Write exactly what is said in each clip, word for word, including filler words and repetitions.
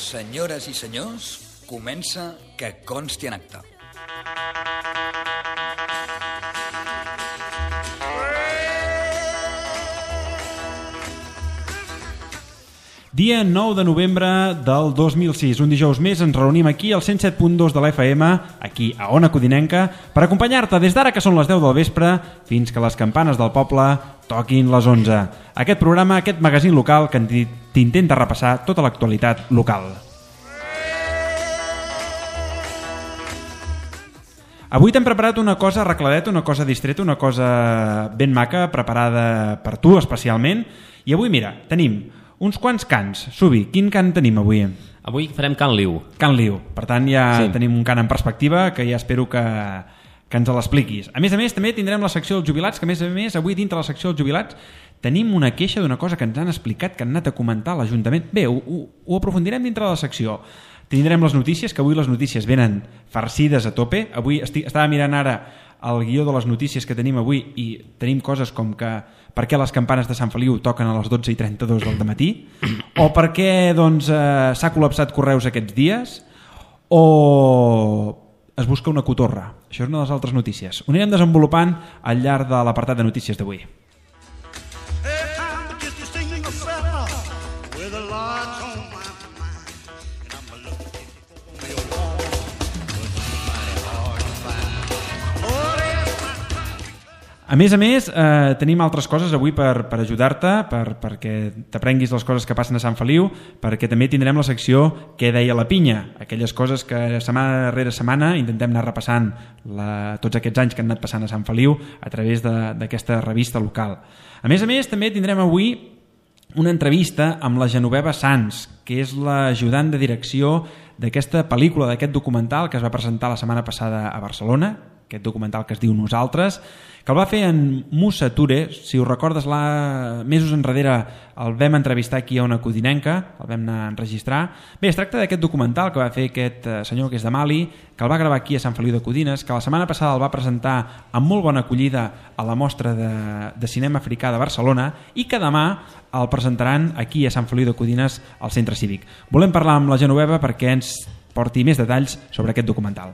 Senyores i senyors, comença Que consti en acta. Dia nou de novembre del dos mil sis, un dijous més ens reunim aquí al cent set punt dos de l'F M, aquí a Ona Codinenca, per acompanyar-te des d'ara que són les deu del vespre fins que les campanes del poble toquin les onze. Aquest programa, aquest magazín local que t'intenta repassar tota l'actualitat local. Avui t'hem preparat una cosa arregladeta, una cosa distreta, una cosa ben maca, preparada per tu especialment. I avui, mira, tenim uns quants cants. Subi, quin cant tenim avui? Avui farem Can Liu. Can Liu. Per tant, ja sí. Tenim un cant en perspectiva que ja espero que, que ens l'expliquis. A més a més, també tindrem la secció dels jubilats, que a més a més, avui dintre la secció dels jubilats tenim una queixa d'una cosa que ens han explicat, que han anat a comentar a l'Ajuntament. Bé, ho, ho, ho aprofundirem dintre de la secció. Tindrem les notícies, que avui les notícies venen farcides a tope. Avui estic, estava mirant ara el guió de les notícies que tenim avui i tenim coses com que per què les campanes de Sant Feliu toquen a les dotze i trenta-dos del matí, o per què doncs, eh, s'ha col·lapsat correus aquests dies, o es busca una cotorra. Això és una de les altres notícies. Ho anirem desenvolupant al llarg de l'apartat de notícies d'avui. A més a més, eh, tenim altres coses avui per, per ajudar-te, per, perquè t'aprenguis les coses que passen a Sant Feliu, perquè també tindrem la secció Què deia la pinya, aquelles coses que setmana rere setmana intentem anar repassant la, tots aquests anys que han anat passant a Sant Feliu a través d'aquesta revista local. A més a més, també tindrem avui una entrevista amb la Genoveva Sans, que és l'ajudant de direcció d'aquesta pel·lícula, d'aquest documental que es va presentar la setmana passada a Barcelona, aquest documental que es diu Nosaltres, que el va fer en Musa Ture. Si ho recordes, la... mesos enrere el vam entrevistar aquí a Ona Codinenca, el vam anar a enregistrar. Bé, es tracta d'aquest documental que va fer aquest senyor que és de Mali, que el va gravar aquí a Sant Feliu de Codines, que la setmana passada el va presentar amb molt bona acollida a la mostra de, de cinema africà de Barcelona i que demà el presentaran aquí a Sant Feliu de Codines al Centre Cívic. Volem parlar amb la Genoveva perquè ens porti més detalls sobre aquest documental.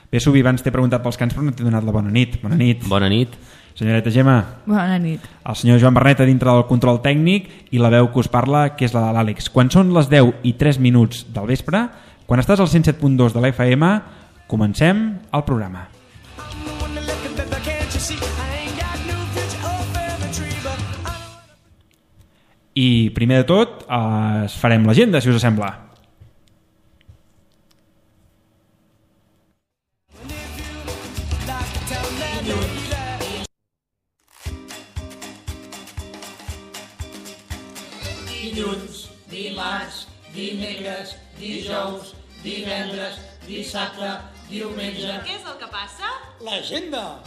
Bé, Subi, abans t'he preguntat pels cants, però no t'he donat la bona nit. Bona nit. Bona nit. Senyoreta Gemma. Bona nit. El senyor Joan Berneta dintre del control tècnic i la veu que us parla, que és la de l'Àlex. Quan són les deu i tres minuts del vespre, quan estàs al cent set punt dos de l'F M, comencem el programa. I primer de tot, eh, farem l'agenda, si us sembla. Dilluns, dimarts, dimecres, dijous, divendres, dissabte, diumenge... Què és el que passa? L'agenda!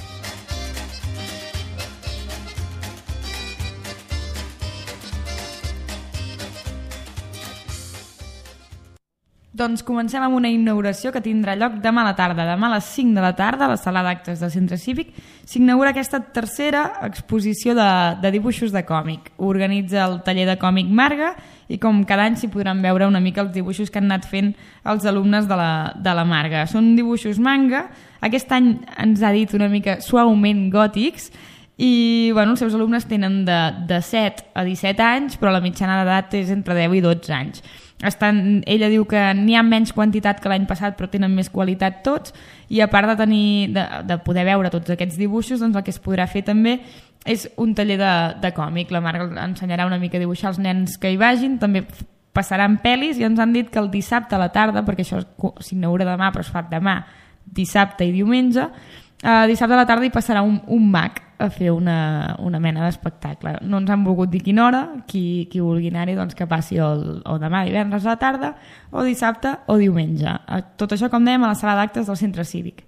Doncs comencem amb una inauguració que tindrà lloc demà a la tarda. Demà a les cinc de la tarda, a la sala d'actes del Centre Cívic, s'inaugura aquesta tercera exposició de, de dibuixos de còmic. Ho organitza el taller de còmic Marga i com cada any s'hi podran veure una mica els dibuixos que han anat fent els alumnes de la, de la Marga. Són dibuixos manga, aquest any ens ha dit una mica suaument gòtics i bueno, els seus alumnes tenen de, de set a disset anys, però la mitjana d'edat és entre deu i dotze anys. Estan, ella diu que n'hi ha menys quantitat que l'any passat però tenen més qualitat tots i a part de, tenir, de, de poder veure tots aquests dibuixos, doncs el que es podrà fer també és un taller de, de còmic. La Marga ensenyarà una mica a dibuixar els nens que hi vagin, també passaran pel·lis i ens han dit que el dissabte a la tarda, perquè això s'inaugura demà però es fa demà, dissabte i diumenge, eh, dissabte a la tarda hi passarà un, un mag a fer una, una mena d'espectacle. No ens han volgut dir quina hora, qui, qui vulgui anar-hi doncs que passi el, o demà divendres a la tarda, o dissabte o diumenge. Tot això, com dèiem, a la sala d'actes del Centre Cívic.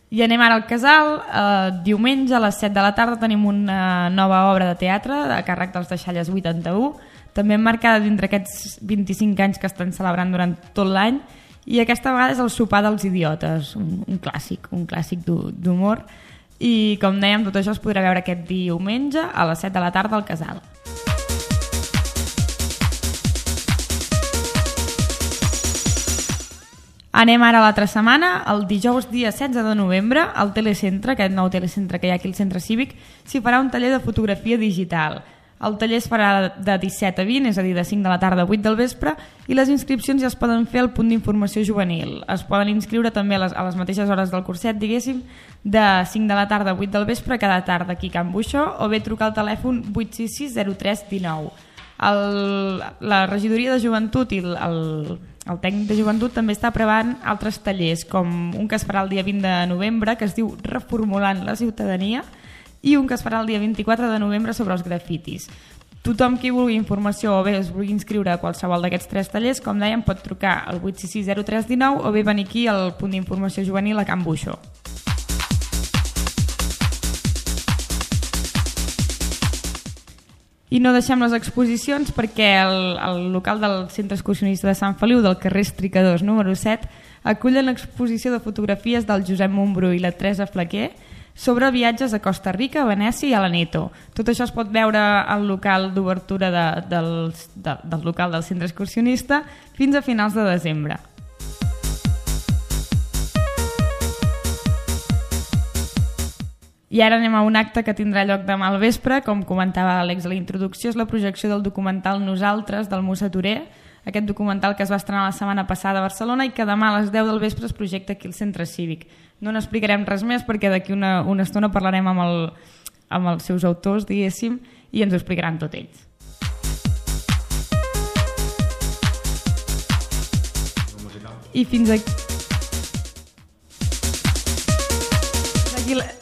I anem ara al Casal. Eh, diumenge a les set de la tarda tenim una nova obra de teatre a càrrec dels Deixalles vuitanta-u, també emmarcada dintre aquests vint-i-cinc anys que estan celebrant durant tot l'any i aquesta vegada és el sopar dels idiotes, un, un clàssic, un clàssic d'humor, i com dèiem, tot això es podrà veure aquest diumenge a les set de la tarda al Casal. Anem ara a l'altra setmana, el dijous dia setze de novembre, al Telecentre, aquest nou telecentre que hi ha aquí al Centre Cívic, s'hi farà un taller de fotografia digital. El taller es farà de disset a vint, és a dir, de cinc de la tarda a vuit del vespre, i les inscripcions ja es poden fer al punt d'informació juvenil. Es poden inscriure també a les, a les mateixes hores del curset, diguéssim, de cinc de la tarda a vuit del vespre, cada tarda aquí a Can Buixó, o bé trucar al telèfon vuit sis sis zero tres un nou. El, la regidoria de joventut i el, el, el tècnic de joventut també està preparant altres tallers, com un que es farà el dia vint de novembre, que es diu Reformulant la ciutadania, i un que es farà el dia vint-i-quatre de novembre sobre els grafitis. Tothom qui vulgui informació o bé es vulgui inscriure a qualsevol d'aquests tres tallers, com dèiem, pot trucar al vuit sis sis zero tres un nou o bé venir aquí al punt d'informació juvenil a Can Buixó. I no deixem les exposicions perquè el, el local del Centre Excursionista de Sant Feliu, del carrer Estricadors número set, acullen l'exposició de fotografies del Josep Montbrú i la Teresa Flaquer sobre viatges a Costa Rica, a Venècia i a l'Aneto. Tot això es pot veure al local d'obertura de, del, de, del local del Centre Excursionista fins a finals de desembre. I ara anem a un acte que tindrà lloc demà al vespre, com comentava l'Àlex a la introducció, és la projecció del documental Nosaltres, del Musa Torer, aquest documental que es va estrenar la setmana passada a Barcelona i que demà a les deu del vespre es projecta aquí al Centre Cívic. No n'explicarem res més perquè d'aquí una, una estona parlarem amb, el, amb els seus autors, diguéssim, i ens ho explicaran tot ells. I fins aquí...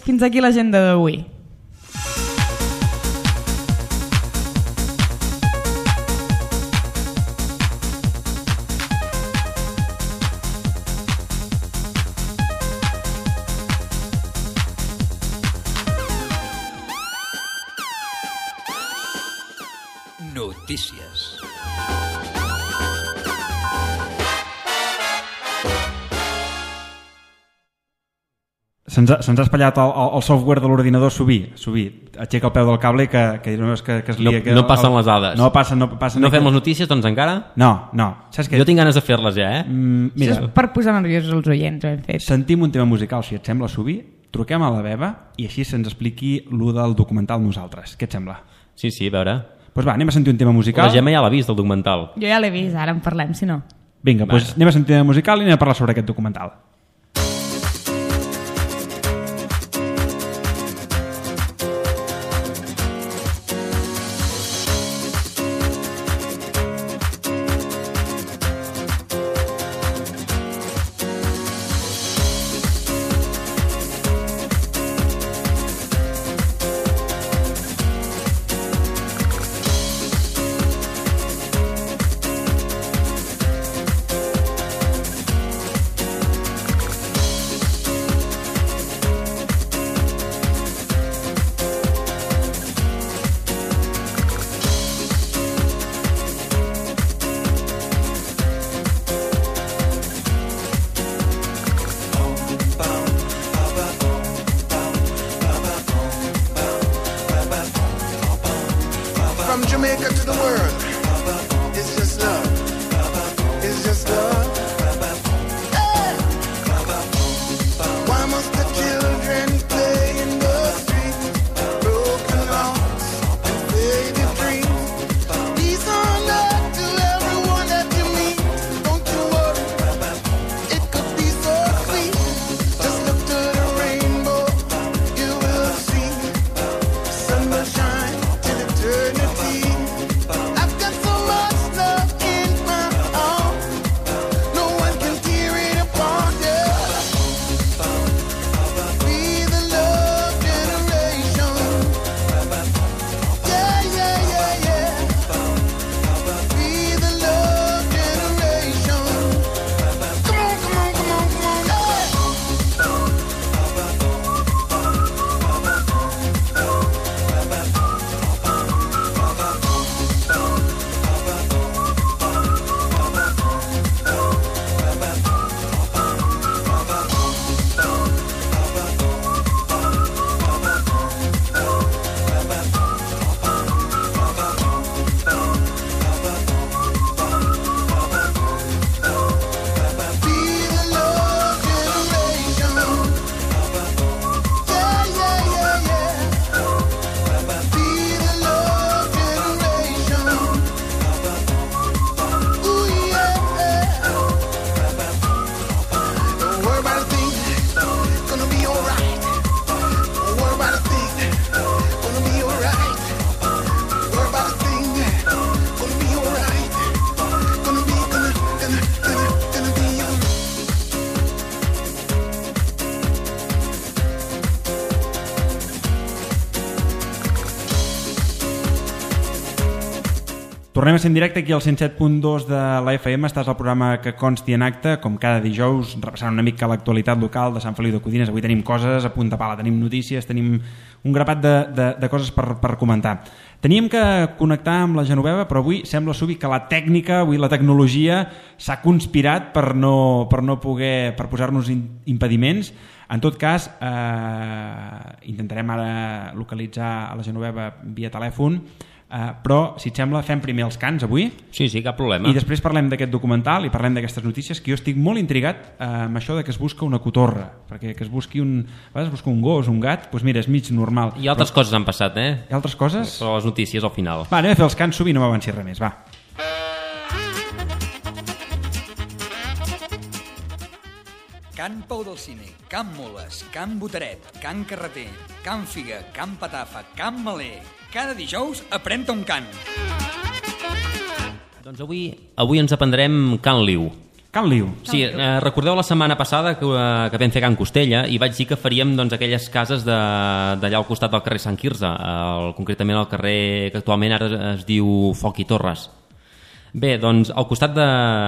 Fins aquí l'agenda d'avui. Notícies. Se'ns ha, se ha espatllat el, el software de l'ordinador subir, subir. Aixeca el peu del cable que, que, que, que es lia. No, que no passen el, les dades. No passen, no passen. No fem les notícies, doncs, encara? No, no. Saps què? Jo tinc ganes de fer-les ja, eh? Mm, mira, Això és per posar nerviosos els oients, ho hem fet. sentim un tema musical, si et sembla, subir, truquem a la Beba i així se'ns expliqui lo del documental Nosaltres. Què et sembla? Sí, sí, a veure. Doncs pues va, anem a sentir un tema musical. La Gemma ja l'ha vist, el documental. Jo ja l'he vist, ara en parlem, si no. Vinga, doncs pues anem a sentir un tema musical i anem a parlar sobre aquest documental. Tornem a ser en directe aquí al cent set punt dos de la F M. Estàs al programa Que consti en acte, com cada dijous, repassant una mica l'actualitat local de Sant Feliu de Codines. Avui tenim coses a punta pala, tenim notícies, tenim un grapat de, de, de coses per, per comentar. Teníem que connectar amb la Genoveva, però avui sembla subir que la tècnica, avui la tecnologia, s'ha conspirat per no, per no poder, per posar-nos impediments. En tot cas, eh, intentarem ara localitzar a la Genoveva via telèfon, Uh, però, si et sembla, fem primer els cants avui. Sí, sí, cap problema. I després parlem d'aquest documental i parlem d'aquestes notícies, que jo estic molt intrigat uh, amb això de que es busca una cotorra, perquè que es busqui un, a vegades es busca un gos, un gat, doncs mira, és mig normal. I altres però... coses han passat, eh? I altres coses? Però les notícies al final. Va, anem a fer els cants sovint, no m'avanci res més, va. Can Pau del Cine, Can Moles, Can Botaret, Can Carreter, Can Figa, Can Patafa, Can Maler. Cada dijous aprèn-te un cant. Doncs avui, avui ens aprendrem Can Liu. Can Liu. Sí, eh, recordeu la setmana passada que, eh, que vam fer Can Costella i vaig dir que faríem doncs, aquelles cases d'allà al costat del carrer Sant Quirze, el, concretament el carrer que actualment ara es diu Foc i Torres. Bé, doncs al costat de,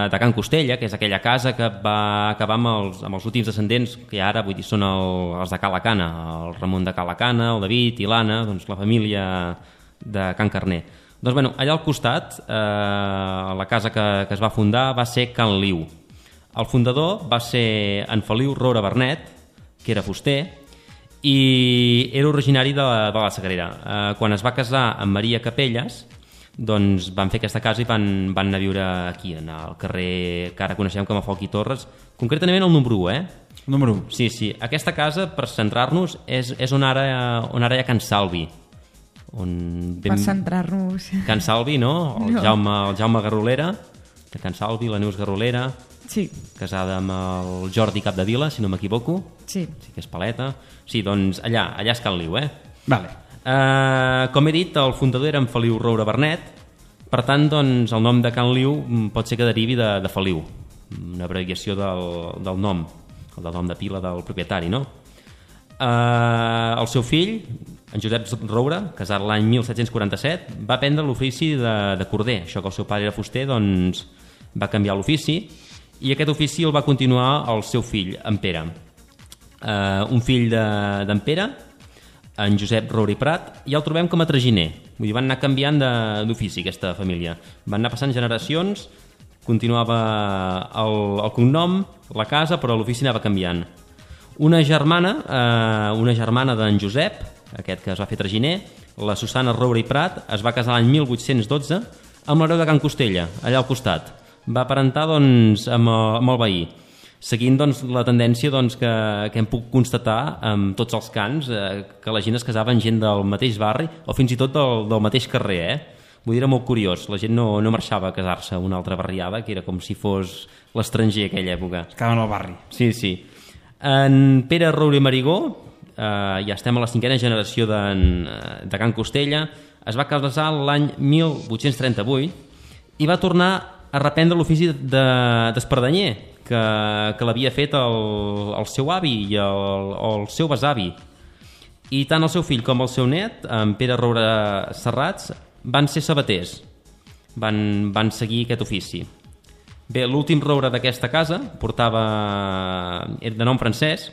de Can Costella, que és aquella casa que va acabar amb els, amb els últims descendents, que ara vull dir, són el, els de Cala Cana, el Ramon de Cala Cana, el David i l'Anna, doncs la família de Can Carner. Doncs bueno, allà al costat, eh, la casa que, que es va fundar va ser Can Liu. El fundador va ser en Feliu Roura Bernet, que era fuster, i era originari de, de la Sagrera. Eh, quan es va casar amb Maria Capelles, doncs van fer aquesta casa i van, van anar a viure aquí, en el carrer que ara coneixem com a Foc i Torres, concretament el número u, eh? El número u. Sí, sí. Aquesta casa, per centrar-nos, és, és on, ara, on ara hi ha Can Salvi. On vam... Per centrar-nos... Can Salvi, no? El, no. Jaume, el Jaume Garrolera, de Can Salvi, la Neus Garrolera, sí. Casada amb el Jordi Capdevila, si no m'equivoco. Sí. Sí que és paleta. Sí, doncs allà, allà és Can Liu, eh? Vale. Uh, com he dit, el fundador era en Feliu Roura Bernet, per tant doncs, el nom de Can Liu pot ser que derivi de, de Feliu, una abreviació del, del nom, el del nom de pila del propietari, no? Uh, el seu fill, en Josep Roura, casat l'any mil set-cents quaranta-set, va aprendre l'ofici de, de corder. Això que el seu pare era fuster, doncs va canviar l'ofici i aquest ofici el va continuar el seu fill, en Pere. Uh, un fill d'en de, Pere, en Josep Roura i Prat, i el trobem com a traginer. Vull dir, van anar canviant d'ofici aquesta família. Van anar passant generacions, continuava el, el cognom, la casa, però l'ofici anava canviant. Una germana, eh, una germana d'en Josep, aquest que es va fer traginer, la Susana Roura i Prat, es va casar l'any mil vuit-cents dotze amb l'hereu de Can Costella, allà al costat. Va aparentar doncs, amb, el, amb el veí, seguint doncs, la tendència doncs, que, que hem puc constatar amb tots els cants, eh, que la gent es casava amb gent del mateix barri o fins i tot del, del mateix carrer. Eh? Vull dir, era molt curiós. La gent no, no marxava a casar-se a una altra barriada, que era com si fos l'estranger aquella època. Es quedaven al barri. Sí, sí. En Pere Roura i Marigó, eh, ja estem a la cinquena generació de, de Can Costella, es va casar l'any mil vuit-cents trenta-vuit i va tornar a reprendre l'ofici d'espardanyer, de, que, que l'havia fet el, el seu avi i el, el seu besavi. I tant el seu fill com el seu net, en Pere Roura Serrats, van ser sabaters, van, van seguir aquest ofici. Bé, l'últim Roura d'aquesta casa portava, era de nom francès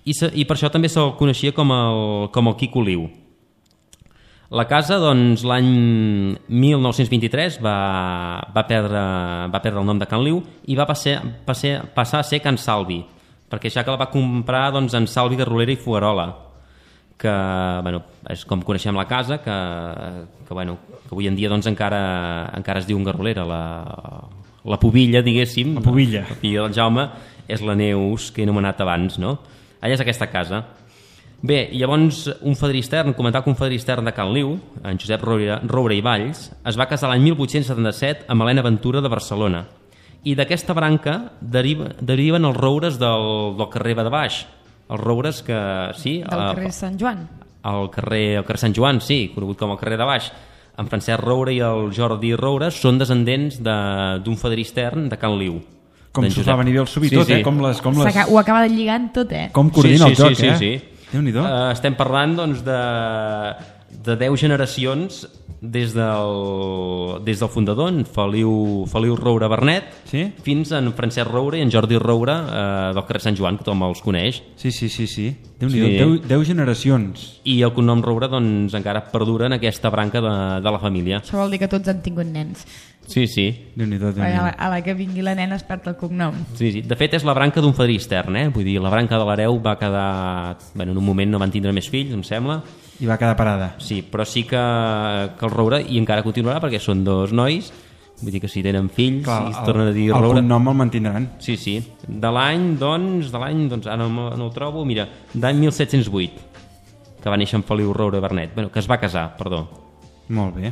i, se, i per això també se'l coneixia com el, com el Quico Liu. La casa, doncs, l'any mil nou-cents vint-i-tres va, va, perdre, va perdre el nom de Can Liu i va passar, passar, passar a ser Can Salvi, perquè ja que la va comprar doncs, en Salvi Garrolera i Fugarola, que bueno, és com coneixem la casa, que, que, bueno, que avui en dia doncs, encara, encara es diu un Garrolera, la, la pubilla, diguéssim. La pubilla. La filla del Jaume és la Neus, que he anomenat abans, no? Allà és aquesta casa. Bé, llavors un fadrí extern, comentar que un fadrí extern de Can Liu, en Josep Roura, Roura i Valls, es va casar l'any mil vuit-cents setanta-set amb Helena Ventura de Barcelona. I d'aquesta branca deriva, deriven els roures del, del carrer Baix. Els roures que... sí, del carrer Sant Joan. El carrer, el carrer Sant Joan, sí, conegut com el carrer de Baix. En Francesc Roura i el Jordi Roura són descendents d'un fadrí extern de Can Liu. Com s'ho fa venir bé el subí sí, tot, sí. eh? Com les, com les... Ho acaba de lligant tot, eh? Com coordina sí, sí, el joc, sí, eh? Sí, sí. Déu-n'hi-do. Uh, estem parlant doncs, de, de deu generacions des del, des del fundador, en Feliu, Feliu Roure Bernet, Sí? fins en Francesc Roure i en Jordi Roure eh, del carrer Sant Joan, que tothom els coneix. Sí, sí, sí, sí. Déu-n'hi-do, Sí. deu, deu generacions. I el cognom Roure doncs, encara perdura en aquesta branca de, de la família. Això vol dir que tots han tingut nens. Sí, sí. Déu-n'hi-do, A la, Déu-n'hi-do. a la que vingui la nena es perd el cognom. Sí, sí. De fet, és la branca d'un fadrí extern, eh? Vull dir, la branca de l'hereu va quedar... Bueno, en un moment no van tindre més fills, em sembla. I va quedar parada. Sí, però sí que, que el Roure, i encara continuarà perquè són dos nois, vull dir que si tenen fills, Clar, si es el, tornen a dir el Roure... cognom el mantindran. Sí, sí. De l'any, doncs, de l'any, doncs, ara no, no ho trobo, mira, d'any mil set-cents vuit, que va néixer en Feliu Roure Bernet, bueno, que es va casar, perdó. Molt bé.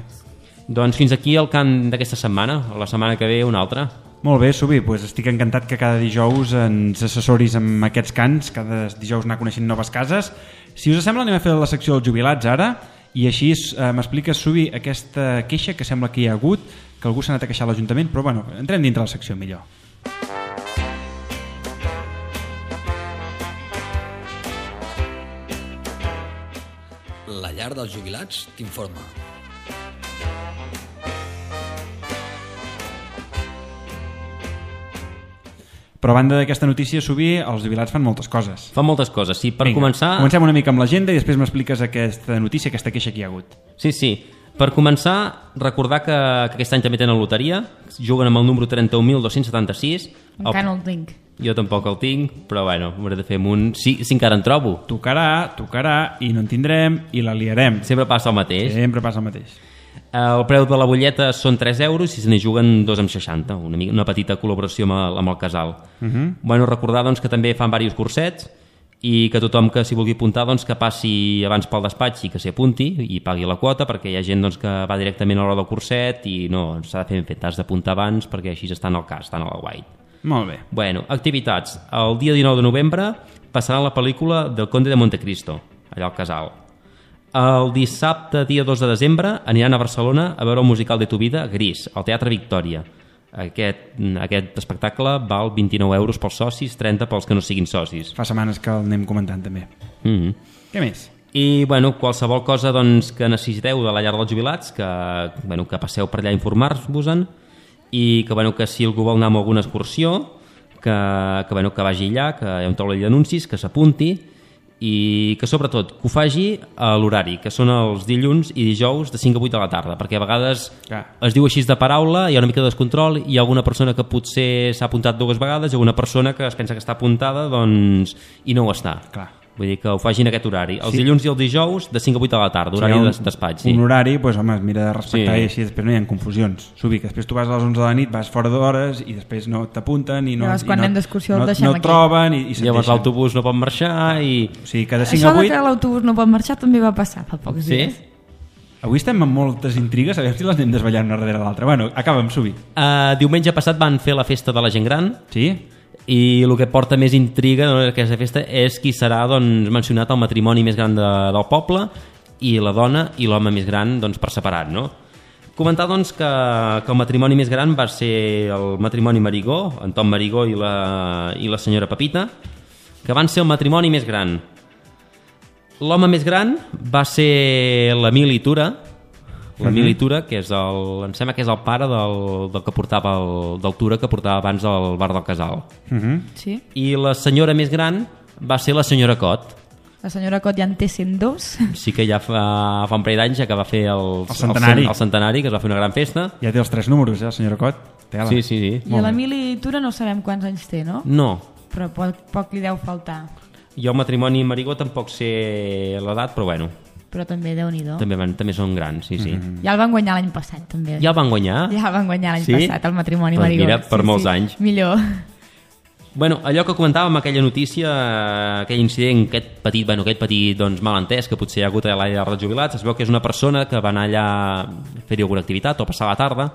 Doncs fins aquí el cant d'aquesta setmana, la setmana que ve una altra. Molt bé, Subi, pues estic encantat que cada dijous ens assessoris amb aquests cants, cada dijous anar coneixent noves cases. Si us sembla, anem a fer la secció dels jubilats ara, i així eh, m'expliques, Subi, aquesta queixa que sembla que hi ha hagut, que algú s'ha anat a queixar a l'Ajuntament, però bueno, entrem dintre la secció millor. La llar dels jubilats t'informa. Però a banda d'aquesta notícia, Subi, els jubilats fan moltes coses. Fa moltes coses, sí. Per Vinga, començar... Comencem una mica amb l'agenda i després m'expliques aquesta notícia, aquesta queixa que hi ha hagut. Sí, sí. Per començar, recordar que, que aquest any també tenen loteria, juguen amb el número trenta-un mil dos-cents setanta-sis. Encara no el tinc. Jo tampoc el tinc, però bueno, hauré de fer amb un... Sí, sí encara en trobo. Tocarà, tocarà, i no en tindrem, i la liarem. Sempre passa el mateix. Sempre passa el mateix. El preu de la butlleta són tres euros i se n'hi juguen dos coma seixanta, una, mica, una petita col·laboració amb el, amb el casal. Uh -huh. Bueno, recordar doncs, que també fan diversos cursets i que tothom que s'hi vulgui apuntar doncs, que passi abans pel despatx i que s'hi apunti i pagui la quota, perquè hi ha gent doncs, que va directament a l'hora del curset i no, s'ha de fer ben fet, t'has d'apuntar abans perquè així estan al cas, estan al guai. Molt bé. Bueno, activitats. El dia dinou de novembre passarà la pel·lícula del Conde de Montecristo, allà al casal. El dissabte, dia dos de desembre, aniran a Barcelona a veure el musical de Tu vida, Gris, al Teatre Victòria. Aquest, aquest espectacle val vint-i-nou euros pels socis, trenta pels que no siguin socis. Fa setmanes que el anem comentant també. Mm -hmm. Què més? I bueno, qualsevol cosa doncs, que necessiteu de la llar dels jubilats, que, bueno, que passeu per allà a informar-vos-en, i que, bueno, que si algú vol anar amb alguna excursió, que, que, bueno, que vagi allà, que hi ha un taulell d'anuncis, que s'apunti, i que sobretot que ho faci a l'horari, que són els dilluns i dijous de cinc a vuit de la tarda, perquè a vegades Clar. es diu així de paraula, hi ha una mica de descontrol, hi ha alguna persona que potser s'ha apuntat dues vegades i alguna persona que es pensa que està apuntada doncs, i no ho està. Clar. Vull dir que ho facin aquest horari. Els Sí. dilluns i els dijous de cinc a vuit de la tarda, horari Si hi ha de despatx. Sí. Un horari, doncs, home, es mira de respectar Sí. i així després no hi ha confusions. Subi, que després tu vas a les onze de la nit, vas fora d'hores i després no t'apunten i no, Llavors, i quan no, anem d'excursió el no, deixem no aquí. troben i, i se't Llavors deixen. l'autobús no pot marxar i... O sigui, que de cinc Això a de vuit... que l'autobús no pot marxar també va passar fa pocs Sí? dies. Avui estem amb moltes intrigues, a veure si les anem desvetllant una darrere l'altra. Bueno, acaba'm, Subi. Uh, diumenge passat van fer la festa de la gent gran Sí? i el que porta més intriga no, aquesta festa és qui serà doncs, mencionat el matrimoni més gran de, del poble i la dona i l'home més gran doncs, per separat, no? Comentar doncs, que, que el matrimoni més gran va ser el matrimoni Marigó, en Tom Marigó i la, i la senyora Pepita, que van ser el matrimoni més gran. L'home més gran va ser l'Emili Tura, l'Emili Tura, que és el, em sembla que és el pare del, del que portava el, del Tura que portava abans al bar del Casal. Uh -huh. Sí? I la senyora més gran va ser la senyora Cot. La senyora Cot ja en té cent dos. Sí que ja fa, fa un parell d'anys ja que va fer el, El centenari. el, el centenari, que es va fer una gran festa. Ja té els tres números, ja, senyora Cot. Tela. Sí, sí, sí. I a l'Emili Tura no sabem quants anys té, no? No, Però poc, poc li deu faltar. jo el matrimoni Marigó tampoc sé l'edat, però bueno, Però també, Déu-n'hi-do. també, van, també són grans, sí, sí. Mm-hmm. Ja el van guanyar l'any passat, també. Ja el van guanyar? Ja el van guanyar l'any Sí? passat, el matrimoni Doncs Marigó. mira, per molts anys. Millor. Bueno, allò que comentàvem, aquella notícia, aquell incident, aquest petit, bueno, aquest petit doncs, malentès que potser hi ha hagut a l'àrea dels jubilats, es veu que és una persona que va anar allà a fer-hi alguna activitat o passar la tarda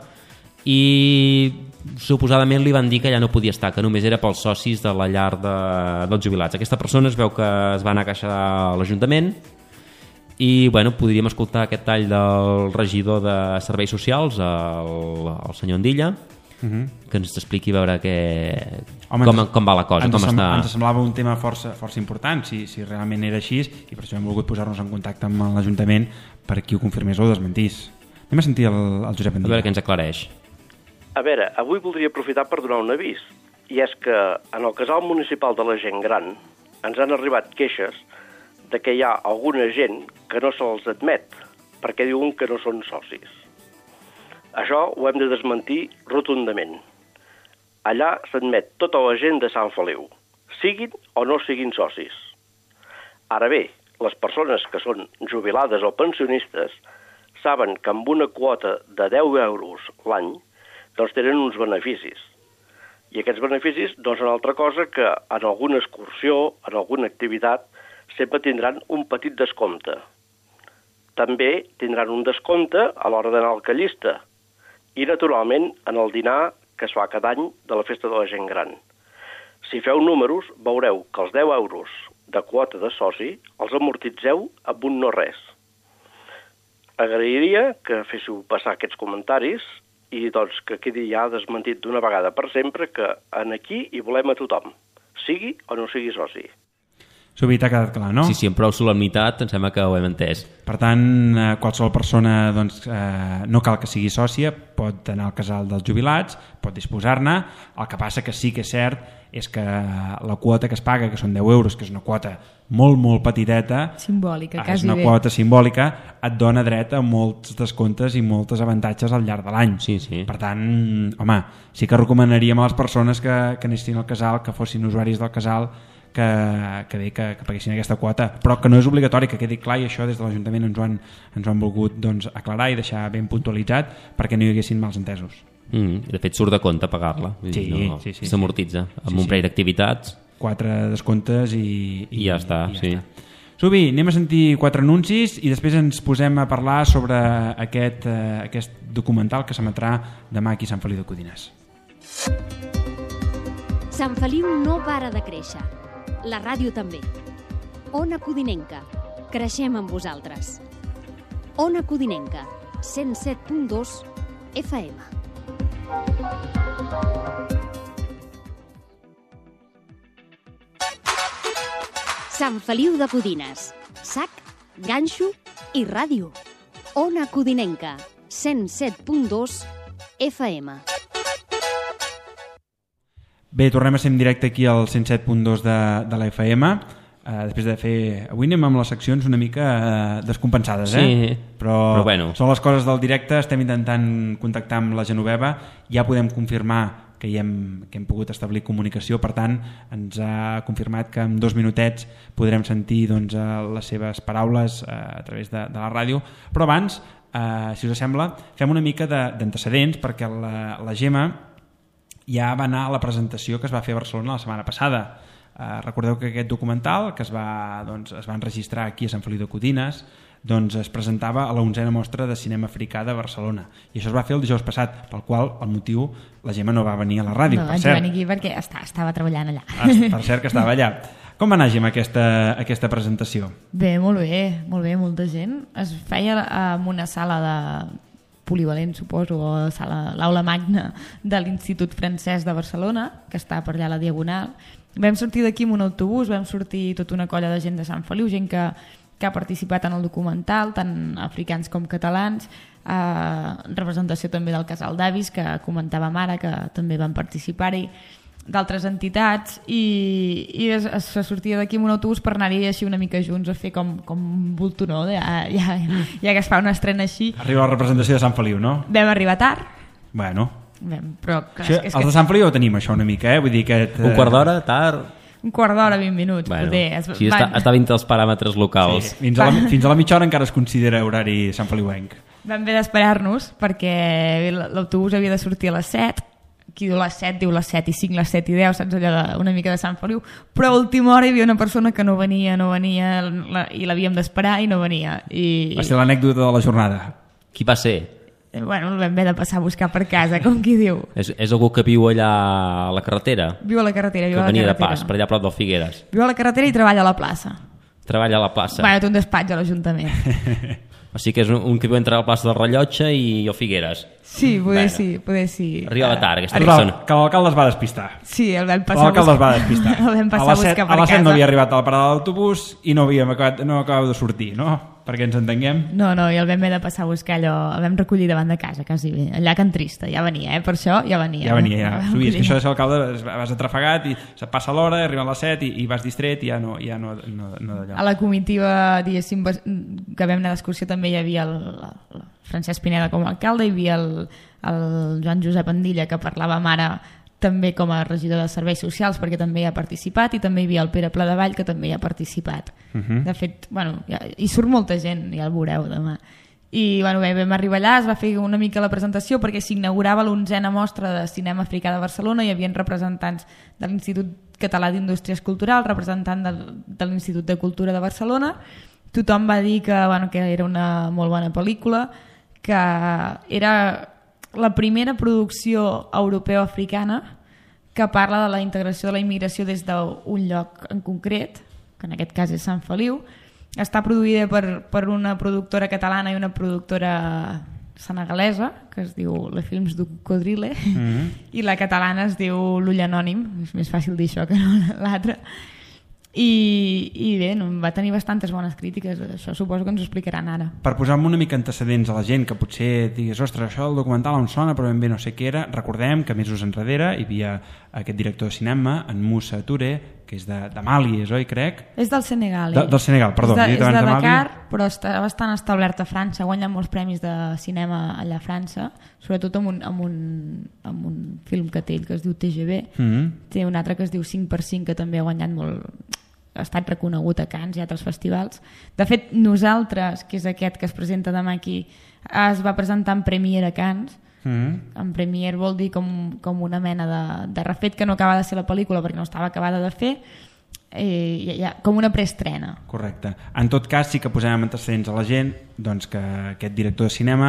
i suposadament li van dir que ja no podia estar, que només era pels socis de la llar de, dels jubilats. Aquesta persona es veu que es va anar a queixar a l'Ajuntament i bueno, podríem escoltar aquest tall del regidor de Serveis Socials, el, el senyor Andilla, uh-huh. que ens expliqui a veure que... Home, com, ens, com va la cosa, ens com sem està... Ens semblava un tema força, força important, si, si realment era així, i per això hem volgut posar-nos en contacte amb l'Ajuntament per qui ho confirmés o ho desmentís. Anem a sentir el, el Josep Andina. A veure què ens aclareix. A veure, avui voldria aprofitar per donar un avís, i és que en el casal municipal de la gent gran ens han arribat queixes de que hi ha alguna gent que no se'ls admet, perquè diuen que no són socis. Això ho hem de desmentir rotundament. Allà s'admet tota la gent de Sant Feliu, siguin o no siguin socis. Ara bé, les persones que són jubilades o pensionistes saben que amb una quota de deu euros l'any doncs tenen uns beneficis. I aquests beneficis no són altra cosa que en alguna excursió, en alguna activitat, sempre tindran un petit descompte. També tindran un descompte a l'hora d'anar al callista i, naturalment, en el dinar que es fa cada any de la festa de la gent gran. Si feu números, veureu que els deu euros de quota de soci els amortitzeu amb un no res. Agrairia que féssiu passar aquests comentaris i doncs que quedi ja desmentit d'una vegada per sempre que en aquí hi volem a tothom, sigui o no sigui soci. Subi, t'ha quedat clar, no? Sí, sí, amb prou solemnitat em sembla que ho hem entès. Per tant, qualsevol persona doncs, eh, no cal que sigui sòcia, pot anar al casal dels jubilats, pot disposar-ne. El que passa que sí que és cert és que la quota que es paga, que són deu euros, que és una quota molt, molt petiteta, simbòlica, és quasi una bé. quota simbòlica, et dona dret a molts descomptes i molts avantatges al llarg de l'any. Sí, sí. Per tant, home, sí que recomanaríem a les persones que, que anessin al casal, que fossin usuaris del casal, que, que bé que, que paguessin aquesta quota, però que no és obligatori, que quedi clar, i això des de l'Ajuntament ens ho han, ens ho han volgut doncs, aclarar i deixar ben puntualitzat perquè no hi haguessin mals entesos. Mm, de fet, surt de compte pagar-la. Sí, no, sí, sí, s'amortitza amb sí, un sí. parell d'activitats. Quatre descomptes i... I, I ja està, i ja sí. està. Subi, anem a sentir quatre anuncis i després ens posem a parlar sobre aquest, eh, aquest documental que s'emetrà demà aquí a Sant Feliu de Codines. Sant Feliu no para de créixer. La ràdio també. Ona Codinenca. Creixem amb vosaltres. Ona Codinenca. cent set punt dos F M. Sant Feliu de Codines. Sac, ganxo i ràdio. Ona Codinenca. cent set punt dos F M. Bé, tornem a ser en directe aquí al cent set punt dos de, de la F M. Uh, després de fer... Avui anem amb les seccions una mica uh, descompensades, eh? Sí, però, però bueno. Són les coses del directe, estem intentant contactar amb la Genoveva, ja podem confirmar que hi hem, que hem pogut establir comunicació, per tant, ens ha confirmat que en dos minutets podrem sentir doncs, les seves paraules uh, a través de, de la ràdio, però abans, uh, si us sembla, fem una mica d'antecedents perquè la, la Gemma ja va anar a la presentació que es va fer a Barcelona la setmana passada. Uh, recordeu que aquest documental que es va, doncs, es va enregistrar aquí a Sant Feliu de Codines doncs es presentava a la onzena mostra de cinema africà de Barcelona i això es va fer el dijous passat, pel qual el motiu la Gemma no va venir a la ràdio, no, per cert. No, vaig venir aquí perquè està, estava treballant allà. Ah, per cert que estava allà. Com va anar, Gemma, aquesta, aquesta presentació? Bé, molt bé, molt bé, molta gent. Es feia en una sala de polivalent, suposo, o sala, l'aula magna de l'Institut Francès de Barcelona, que està per allà a la Diagonal. Vam sortir d'aquí amb un autobús, vam sortir tota una colla de gent de Sant Feliu, gent que, que ha participat en el documental, tant africans com catalans, eh, representació també del Casal d'Avis, que comentàvem ara, que també van participar-hi, d'altres entitats, i, i es, es sortia d'aquí amb un autobús per anar-hi així una mica junts a fer com, com un voltunó, ja, ja, ja que es fa una estrena així. Arriba la representació de Sant Feliu, no? Vam arribar tard. Bueno... Vam, però, clar, això, és els que... de Sant Feliu ho tenim, això, una mica, eh? Vull dir que... Un quart d'hora, tard... Un quart d'hora, vint minuts. Bueno, poder. Es... sí, està, està dintre els paràmetres locals. Sí, fins, a la, fins a la mitja hora encara es considera horari Sant Feliuenc. Vam haver d'esperar-nos perquè l'autobús havia de sortir a les set, qui diu les set, diu les set i cinc, les set i deu, saps, allò de, una mica de Sant Feliu, però a última hora hi havia una persona que no venia, no venia, la, i l'havíem d'esperar i no venia. I... Va ser l'anècdota de la jornada. Qui va ser? Bueno, el vam haver de passar a buscar per casa, com qui diu. És, és algú que viu allà a la carretera? Viu a la carretera, viu que a la venia carretera. de pas, per allà a prop del Figueres. Viu a la carretera i treballa a la plaça. Treballa a la plaça. Bueno, té un despatx a l'Ajuntament. O sigui que és un, un que viu entre la plaça del Rellotge i o Figueres. Sí, poder Bueno. sí, poder sí. Arriba tard, aquesta Que persona. l'alcalde es va despistar. Sí, el vam passar a L'alcalde es va buscar. despistar. El vam A passar a les buscar set, per a les set casa. no havia arribat a la parada de l'autobús i no havíem acabat, no acabava de sortir, no? Perquè ens entenguem. No, no, i el vam haver de passar a buscar allò, el vam recollir davant de casa, quasi bé. Allà a Can Trista, ja venia, eh? Per això ja venia. Ja venia, ja. El vam Sí, és que recollir. això de ser alcalde vas atrafegat i se passa l'hora, arriben les set i, i vas distret i ja no, ja no, no, no d'allò. A la comitiva, diguéssim, bas- que vam anar d'excursió també hi havia el, el Francesc Pineda com a alcalde, hi havia el, el Joan Josep Andilla, que parlava amb ara també com a regidor de Serveis Socials, perquè també hi ha participat, i també hi havia el Pere Pladevall, que també hi ha participat. Uh -huh. De fet, bueno, ja, hi surt molta gent, ja el veureu demà. I bueno, bé, vam arribar allà, es va fer una mica la presentació perquè s'inaugurava l'onzena mostra de cinema africà de Barcelona, hi havia representants de l'Institut Català d'Indústries Culturals, representant del, de l'Institut de Cultura de Barcelona. Tothom va dir que, bueno, que era una molt bona pel·lícula, que era la primera producció europeo-africana que parla de la integració de la immigració des d'un lloc en concret, que en aquest cas és Sant Feliu. Està produïda per, per una productora catalana i una productora senegalesa, que es diu Le Films du Codrile, Mm-hmm. i la catalana es diu L'Ull Anònim, és més fàcil dir això que no l'altra. I, i bé, no, va tenir bastantes bones crítiques, això suposo que ens ho explicaran ara. Per posar-me una mica antecedents a la gent que potser digués, ostres, això del documental em sona però ben bé no sé què era, recordem que mesos enrere hi havia aquest director de cinema, en Moussa Touré, que és de, de Mali, és oi, crec? És del Senegal. De, del Senegal, perdó. És de, he dit és abans de Mali. Dakar, però està bastant establert a França, ha guanyat molts premis de cinema allà a França, sobretot amb un, amb un, amb un film que té ell que es diu T G V, Mm-hmm. té un altre que es diu cinc per cinc que també ha guanyat molt, ha estat reconegut a Cannes i altres festivals. De fet, Nosaltres, que és aquest que es presenta demà aquí, es va presentar en Premiere a Cannes. Mm-hmm. En Premiere vol dir com, com una mena de, de refet que no acaba de ser la pel·lícula perquè no estava acabada de fer, eh, ja, com una preestrena. Correcte. En tot cas, sí que posem antecedents a la gent doncs, que aquest director de cinema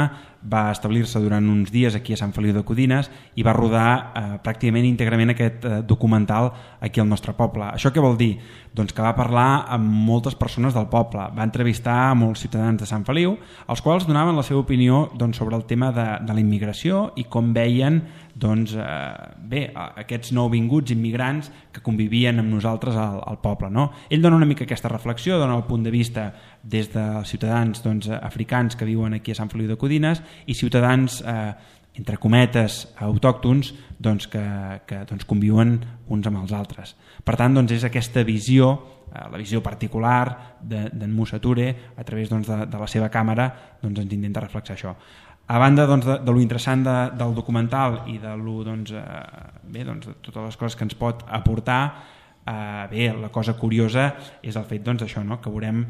va establir-se durant uns dies aquí a Sant Feliu de Codines i va rodar eh, pràcticament íntegrament aquest eh, documental aquí al nostre poble. Això què vol dir? Doncs que va parlar amb moltes persones del poble, va entrevistar a molts ciutadans de Sant Feliu, els quals donaven la seva opinió doncs, sobre el tema de, de la immigració i com veien doncs, eh, bé, aquests nouvinguts immigrants que convivien amb nosaltres al, al poble. No? Ell dona una mica aquesta reflexió, dona el punt de vista des dels ciutadans doncs, africans que viuen aquí a Sant Feliu de Codines i ciutadans, eh, entre cometes, autòctons doncs, que, que doncs, conviuen uns amb els altres. Per tant, doncs, és aquesta visió, eh, la visió particular d'en de, Moussa Touré, a través doncs, de, de la seva càmera, doncs, ens intenta reflexar això. A banda doncs, de, de lo interessant de, del documental i de, lo, doncs, eh, bé, doncs, de totes les coses que ens pot aportar, eh, bé, la cosa curiosa és el fet doncs, això, no? Que veurem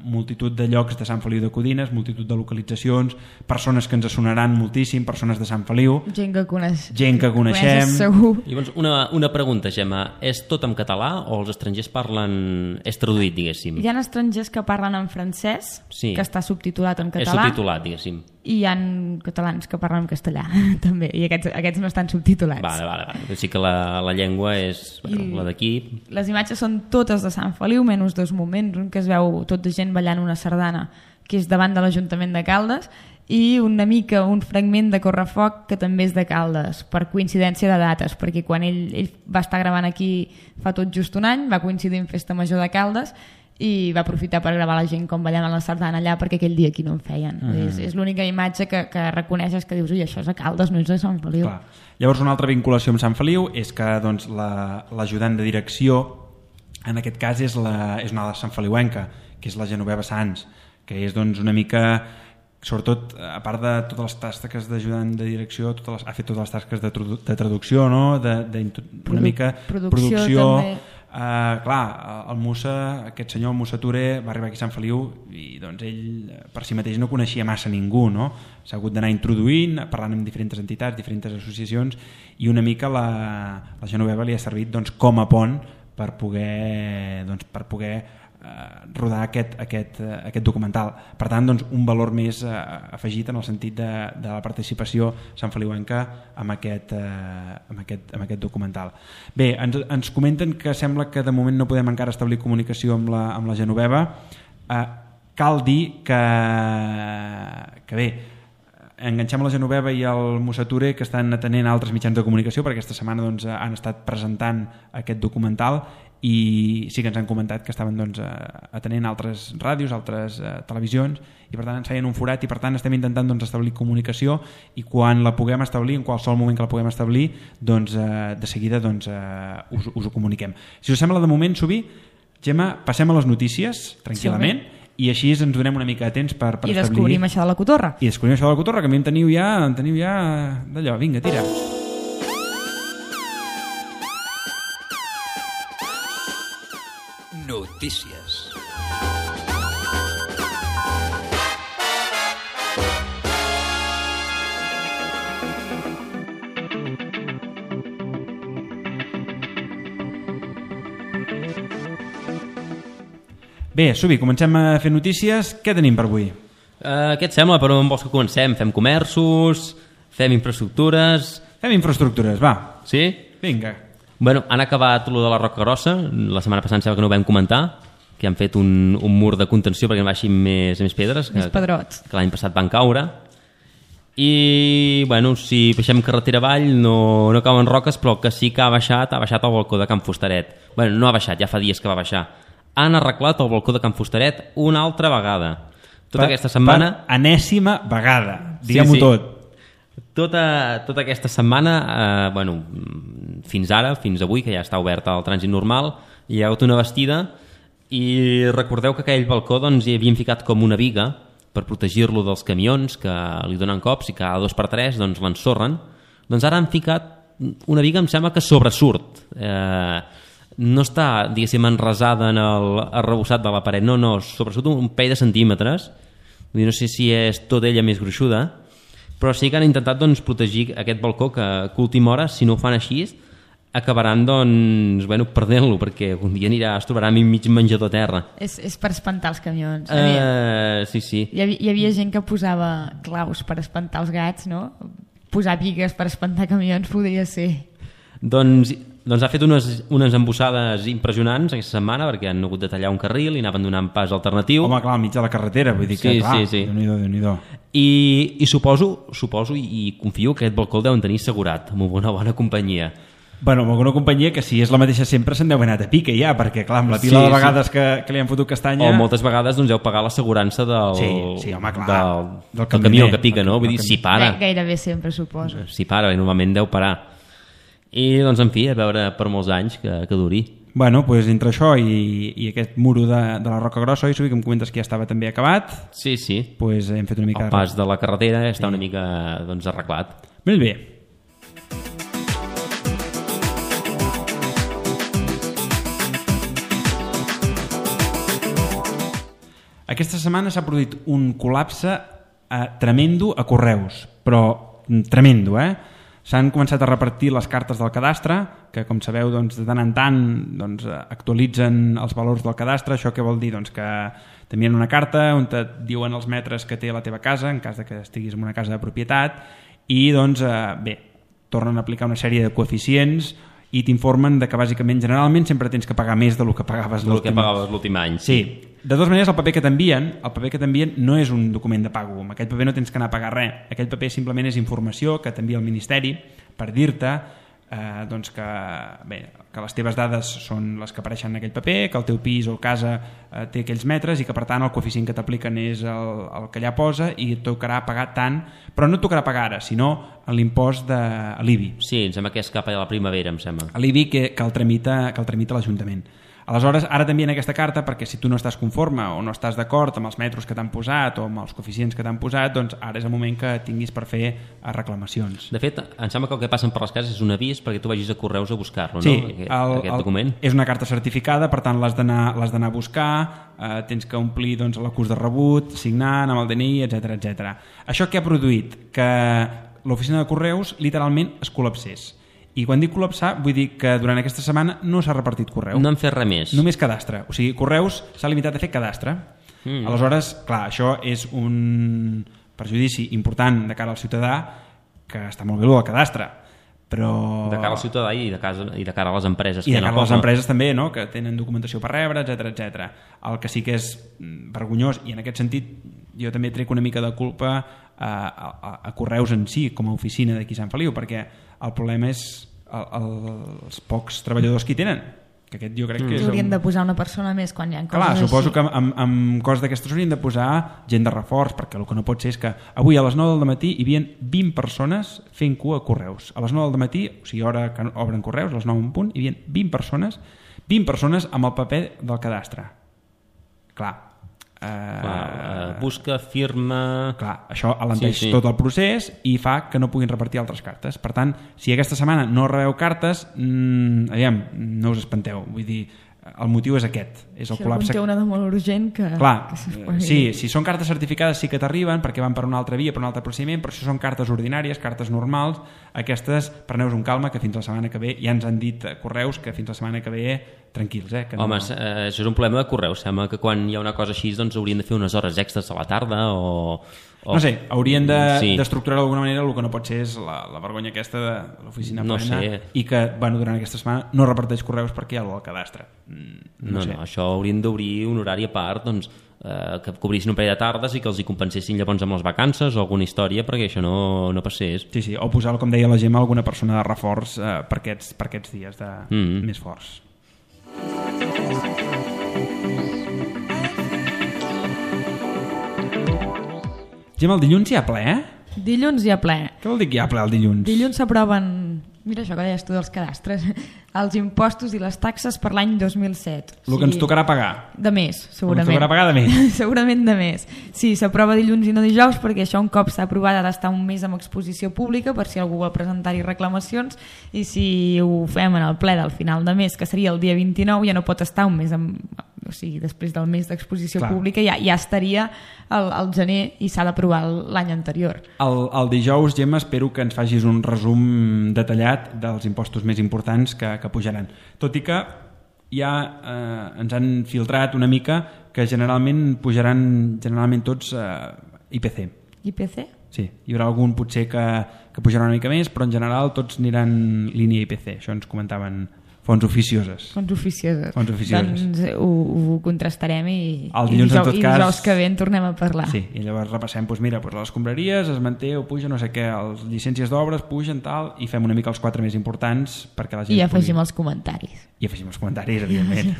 multitud de llocs de Sant Feliu de Codines, multitud de localitzacions, persones que ens sonaran moltíssim, persones de Sant Feliu, Gent que, coneix, gent que coneixem. coneixes segur. Llavors, una, una pregunta, Gemma. És tot en català o els estrangers parlen... És traduït, diguéssim? Hi ha estrangers que parlen en francès, Sí. que està subtitulat en És català, subtitulat, diguéssim. i hi ha catalans que parlen en castellà, també, i aquests, aquests no estan subtitulats. Vale, vale, vale. Sí que la, la llengua és bueno, I- la d'aquí. Les imatges són totes de Sant Feliu, menys dos moments, un que es veu tot de gent ballant una sardana, que és davant de l'Ajuntament de Caldes, i una mica un fragment de Correfoc que també és de Caldes, per coincidència de dates, perquè quan ell, ell va estar gravant aquí fa tot just un any, va coincidir en Festa Major de Caldes, i va aprofitar per gravar la gent com ballaven la sardana allà perquè aquell dia aquí no en feien. Mm. És, és l'única imatge que, que reconeixes que dius, ui, això és a Caldes, no és a Sant Feliu. Clar. Llavors una altra vinculació amb Sant Feliu és que doncs, l'ajudant la, de direcció en aquest cas és, la, és una de Sant Feliuenca, que és la Genoveva Sans, que és doncs, una mica, sobretot a part de totes les tasques d'ajudant de direcció, totes les, ha fet totes les tasques de, de traducció, no? de, de, una Produ mica producció, producció també. Uh, clar, el Moussa, aquest senyor Moussa Touré va arribar aquí a Sant Feliu i doncs ell per si mateix no coneixia massa ningú, no? S'ha hagut d'anar introduint, parlant amb diferents entitats, diferents associacions, i una mica la, la Genoveva li ha servit doncs, com a pont per poder, doncs, per poder uh, rodar aquest, aquest, uh, aquest documental. Per tant, doncs, un valor més uh, afegit en el sentit de, de la participació santfeliuenca amb aquest, uh, amb, aquest, amb aquest documental. Bé, ens, ens comenten que sembla que de moment no podem encara establir comunicació amb la, amb la Genoveva. Uh, cal dir que, que bé, enganxem la Genoveva i el Mussature, que estan atenent altres mitjans de comunicació, perquè aquesta setmana doncs, han estat presentant aquest documental i sí que ens han comentat que estaven doncs, atenent altres ràdios, altres eh, televisions, i per tant ens feien un forat i per tant estem intentant doncs, establir comunicació, i quan la puguem establir, en qualsevol moment que la puguem establir, doncs, eh, de seguida doncs, eh, us, us ho comuniquem. Si us sembla, de moment, Subi, Gemma, passem a les notícies tranquil·lament, sí, i així ens donem una mica de temps per, per I establir... descobrim això de la cotorra. I descobrim això de la cotorra, que a mi em teniu ja, em teniu ja d'allò, vinga, tira. Notícies. Bé, Subi, comencem a fer notícies. Què tenim per avui? Uh, què et sembla? Per on vols que comencem? Fem comerços? Fem infraestructures? Fem infraestructures, va. Sí? Vinga. Bueno, han acabat lo de la Roca Grossa. La setmana passada em sembla que no ho vam comentar, que han fet un, un mur de contenció perquè no baixin més, més pedres. Més que, pedrots. Que l'any passat van caure. I, bueno, si baixem carretera avall no, no cauen roques, però que sí que ha baixat, ha baixat el balcó de Can Fustaret. Bueno, no ha baixat, ja fa dies que va baixar. Han arreglat el balcó de Can Fustaret una altra vegada. Tota per, aquesta setmana... Per enèsima vegada, diguem-ho sí, sí. tot. Tota, tota aquesta setmana, eh, bueno, fins ara, fins avui, que ja està obert el trànsit normal, hi ha hagut una bastida i recordeu que aquell balcó doncs, hi havien ficat com una viga per protegir-lo dels camions que li donen cops i cada dos per tres doncs, l'ensorren. Doncs ara han ficat una viga, em sembla que sobresurt. Eh, no està, diguéssim, enrasada en el arrebossat de la paret, no, no, sobresurt un parell de centímetres. Vull dir, no sé si és tota ella més gruixuda, però sí que han intentat doncs, protegir aquest balcó que, que a última hora, si no ho fan així, acabaran doncs, bueno, perdent-lo, perquè un dia anirà, es trobarà mig menjador a terra. És, és per espantar els camions. Uh, sí, sí. Hi havia, hi havia gent que posava claus per espantar els gats, no? Posar vigues per espantar camions podria ser. Doncs, doncs ha fet unes, unes embossades impressionants aquesta setmana, perquè han hagut de tallar un carril i anaven donant pas alternatiu. Home, clar, al mig de la carretera, vull dir que, sí, clar, sí, sí. Déu-n'hi-do, Déu-n'hi-do. I, i suposo, suposo i, i confio que aquest balcó el deuen tenir assegurat amb una bona companyia. Bueno, amb alguna companyia que si és la mateixa sempre se'n deu haver anat a pique ja, perquè clar, amb la pila sí, de vegades sí. que, que li han fotut castanya... O moltes vegades doncs, heu pagat l'assegurança del, sí, sí, home, clar, del, del, del camió que pica, no? Vull dir, si para... Gairebé sempre, suposo. Si para, normalment deu parar. I, doncs, en fi, a veure per molts anys que, que duri. Bueno, doncs entre això i, i aquest muro de, de la Roca Grossa, i que em comentes que ja estava també acabat, sí, sí. Doncs hem fet una mica... El pas de la carretera està sí. una mica doncs, arreglat. Molt bé. Aquesta setmana s'ha produït un col·lapse eh, tremendo a Correus, però tremendo, eh? S'han començat a repartir les cartes del cadastre, que com sabeu doncs, de tant en tant doncs, actualitzen els valors del cadastre. Això què vol dir? Doncs que t'envien una carta on et diuen els metres que té la teva casa, en cas de que estiguis en una casa de propietat, i doncs, eh, bé, tornen a aplicar una sèrie de coeficients i t'informen de que bàsicament, generalment, sempre tens que pagar més del que pagaves del que pagaves l'últim any. Sí. De totes maneres, el paper que t'envien, el paper que t'envien no és un document de pago. Amb aquest paper no tens que anar a pagar res. Aquell paper simplement és informació que t'envia el Ministeri per dir-te eh, doncs que, bé, que les teves dades són les que apareixen en aquell paper, que el teu pis o casa eh, té aquells metres i que, per tant, el coeficient que t'apliquen és el, el que allà posa i et tocarà pagar tant, però no et tocarà pagar ara, sinó en l'impost de l'I B I. Sí, em sembla que és cap a la primavera, em sembla. L'I B I que, que el tramita, que el tramita l'Ajuntament. Aleshores, ara t'envien aquesta carta perquè si tu no estàs conforme o no estàs d'acord amb els metres que t'han posat o amb els coeficients que t'han posat, doncs ara és el moment que tinguis per fer reclamacions. De fet, em sembla que el que passen per les cases és un avís perquè tu vagis a Correus a buscar-lo, sí, no? Aquest, el, aquest el, document. És una carta certificada, per tant l'has d'anar l'has d'anar a buscar, eh, tens que omplir doncs, l'acús de rebut, signant amb el D N I, etcètera, etcètera. Això què ha produït? Que l'oficina de Correus literalment es col·lapsés. I quan dic col·lapsar, vull dir que durant aquesta setmana no s'ha repartit correu. No han fet res més. Només cadastre. O sigui, Correus s'ha limitat a fer cadastre. Mm. Aleshores, clar, això és un perjudici important de cara al ciutadà, que està molt bé el cadastre, però... De cara al ciutadà i de, casa, i de cara a les empreses. I de cara a les empreses també, no? Que tenen documentació per rebre, etcètera, etcètera. El que sí que és vergonyós, i en aquest sentit jo també trec una mica de culpa a, a, a Correus en si, com a oficina d'aquí Sant Feliu, perquè el problema és el, el, els pocs treballadors que hi tenen, que aquest jo crec que és... Haurien un... de posar una persona més quan hi ha coses Clar, suposo així. que amb, amb coses d'aquestes haurien de posar gent de reforç, perquè el que no pot ser és que avui a les nou del matí hi havia vint persones fent cua a Correus. A les nou del matí, o sigui, hora que obren Correus, a les nou en punt, hi havia vint persones, vint persones amb el paper del cadastre. Clar, Uh, clar, uh, busca, firma... Clar, això alenteix sí, sí. tot el procés i fa que no puguin repartir altres cartes. Per tant, si aquesta setmana no rebeu cartes, mmm, aviam, no us espanteu. Vull dir, el motiu és aquest. És el si col·lapse... algun té una de molt urgent que... Clar, que sí, si són cartes certificades sí que t'arriben perquè van per una altra via, per un altre procediment, però si són cartes ordinàries, cartes normals, aquestes, preneu-vos un calma, que fins la setmana que ve ja ens han dit Correus que fins la setmana que ve tranquils, eh? Que no... Home, eh, això és un problema de Correus. Sembla que quan hi ha una cosa així doncs haurien de fer unes hores extres a la tarda o... o... No sé, haurien d'estructurar sí. d'alguna manera. El que no pot ser és la, la vergonya aquesta de l'oficina no plena sé. I que bueno, durant aquesta setmana no reparteix Correus perquè hi ha el cadastre. Mm, no, no, sé. no, això haurien d'obrir un horari a part, doncs, eh, que cobrissin un parell de tardes i que els hi compensessin llavors amb les vacances o alguna història perquè això no, no passés. Sí, sí, o posar, com deia la Gemma, alguna persona de reforç eh, per, aquests, per aquests dies de, mm. més forts. Gemma, el dilluns hi ha ple, eh? Dilluns hi ha ple. Què vol dir que hi ha ple el dilluns? Dilluns s'aproven, mira això que deies tu dels cadastres, els impostos i les taxes per l'any dos mil set. El sí. que ens tocarà pagar. De més, segurament. El que ens tocarà pagar de més. Segurament de més. Sí, s'aprova dilluns i no dijous perquè això un cop s'ha aprovat ha d'estar un mes amb exposició pública per si algú vol presentar-hi reclamacions i si ho fem en el ple del final de mes, que seria el dia vint-i-nou, ja no pot estar un mes amb... o sigui, després del mes d'exposició Clar. pública ja, ja estaria al, al gener i s'ha d'aprovar l'any anterior. El, el dijous, Gemma, espero que ens facis un resum detallat dels impostos més importants que, que pujaran. Tot i que ja eh, ens han filtrat una mica que generalment pujaran generalment tots eh, I P C. I P C? Sí, hi haurà algun potser que, que pujarà una mica més, però en general tots aniran línia I P C. Això ens comentaven fonts oficioses. Fonts oficioses. Fonts oficioses. Doncs ho, ho contrastarem i, el dilluns, i, dijous, en tot i cas, dijous que ve en tornem a parlar. Sí, i llavors repassem, doncs mira, doncs les escombraries es manté o puja, no sé què, les llicències d'obres pugen, tal, i fem una mica els quatre més importants perquè la gent I afegim pugui... els comentaris. I afegim els comentaris, evidentment.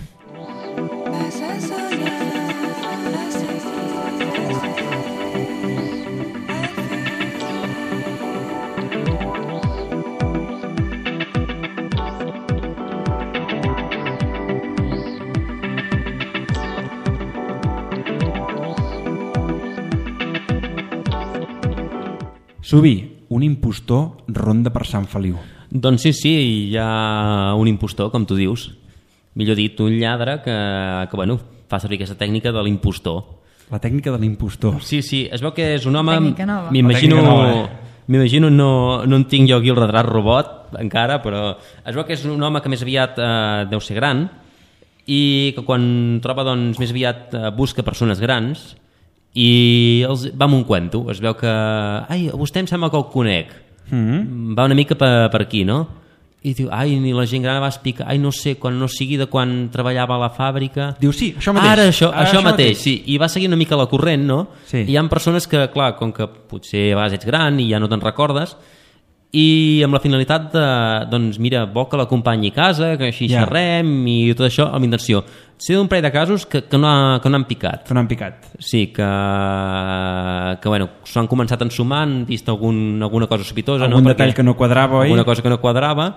Subi, un impostor ronda per Sant Feliu. Doncs sí, sí, hi ha un impostor, com tu dius. Millor dit, un lladre que, que bueno, fa servir aquesta tècnica de l'impostor. La tècnica de l'impostor. Sí, sí, es veu que és un home... Tècnica nova. M'imagino, eh? m'imagino no, no en tinc jo aquí el retrat robot encara, però es veu que és un home que més aviat eh, deu ser gran i que quan troba doncs, més aviat eh, busca persones grans i els va amb un cuento. Es veu que... Ai, a vostè em sembla que el conec. Mm-hmm. Va una mica per, per aquí, no? I diu, ai, ni la gent gran va explicar, ai, no sé, quan no sigui de quan treballava a la fàbrica... Diu, sí, això mateix. Ara, això, Ara, això, això mateix, mateix, sí. I va seguir una mica la corrent, no? Sí. I hi ha persones que, clar, com que potser a vegades ets gran i ja no te'n recordes, i amb la finalitat de, doncs mira, vol que l'acompanyi a casa, que així Ja. xerrem i tot això amb intenció. Sé d'un parell de casos que, que, no, ha, que no han picat. Que no han picat. Sí, que, que bueno, s'ho han començat a ensumar, han vist algun, alguna cosa sospitosa. Algun no? detall Perquè, que no quadrava, oi? alguna cosa que no quadrava,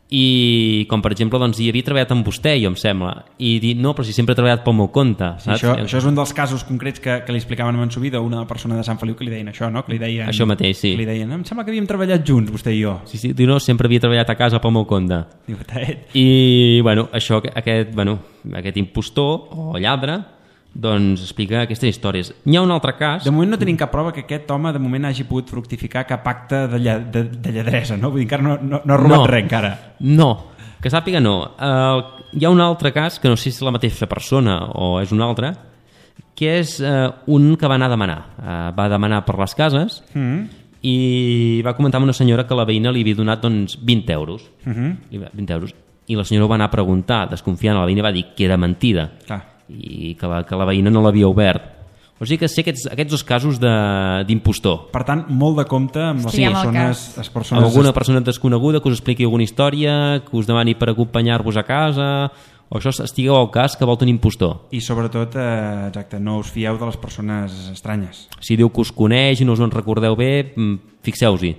i com per exemple doncs, hi havia treballat amb vostè, jo em sembla, i dir, no, però si sempre he treballat pel meu compte, Sí, saps? això, això és un dels casos concrets que, que li explicaven a Mansubí d'una persona de Sant Feliu que li deien això, no? Que li deien, Això mateix, sí. que li deien, em sembla que havíem treballat junts, vostè i jo. Sí, sí, diu, no, sempre havia treballat a casa pel meu compte. Diu, "Tet". I, bueno, això, aquest, bueno, aquest impostor o lladre, doncs explica aquestes històries. N'hi ha un altre cas... De moment no tenim cap prova que aquest home de moment hagi pogut fructificar cap acte de, lla, de, de lladresa, no? Vull dir, encara no, no, no ha robat No. res, encara. No, que sàpiga no. Uh, hi ha un altre cas, que no sé si és la mateixa persona o és un altre, que és uh, un que va anar a demanar. Uh, va demanar per les cases Mm. i va comentar amb una senyora que la veïna li havia donat doncs, vint euros. Uh-huh. vint euros. I la senyora ho va anar a preguntar, desconfiant, la veïna va dir que era mentida. Clar. I que la, que la veïna no l'havia obert. O sigui que sé aquests, aquests dos casos d'impostor. Per tant, molt de compte amb les Sí, amb el persones, cas. les persones... Alguna persona desconeguda que us expliqui alguna història, que us demani per acompanyar-vos a casa, o això estigueu al cas que vol tenir impostor. I sobretot, eh, exacte, no us fieu de les persones estranyes. Si diu que us coneix i no us en recordeu bé, fixeu-s'hi.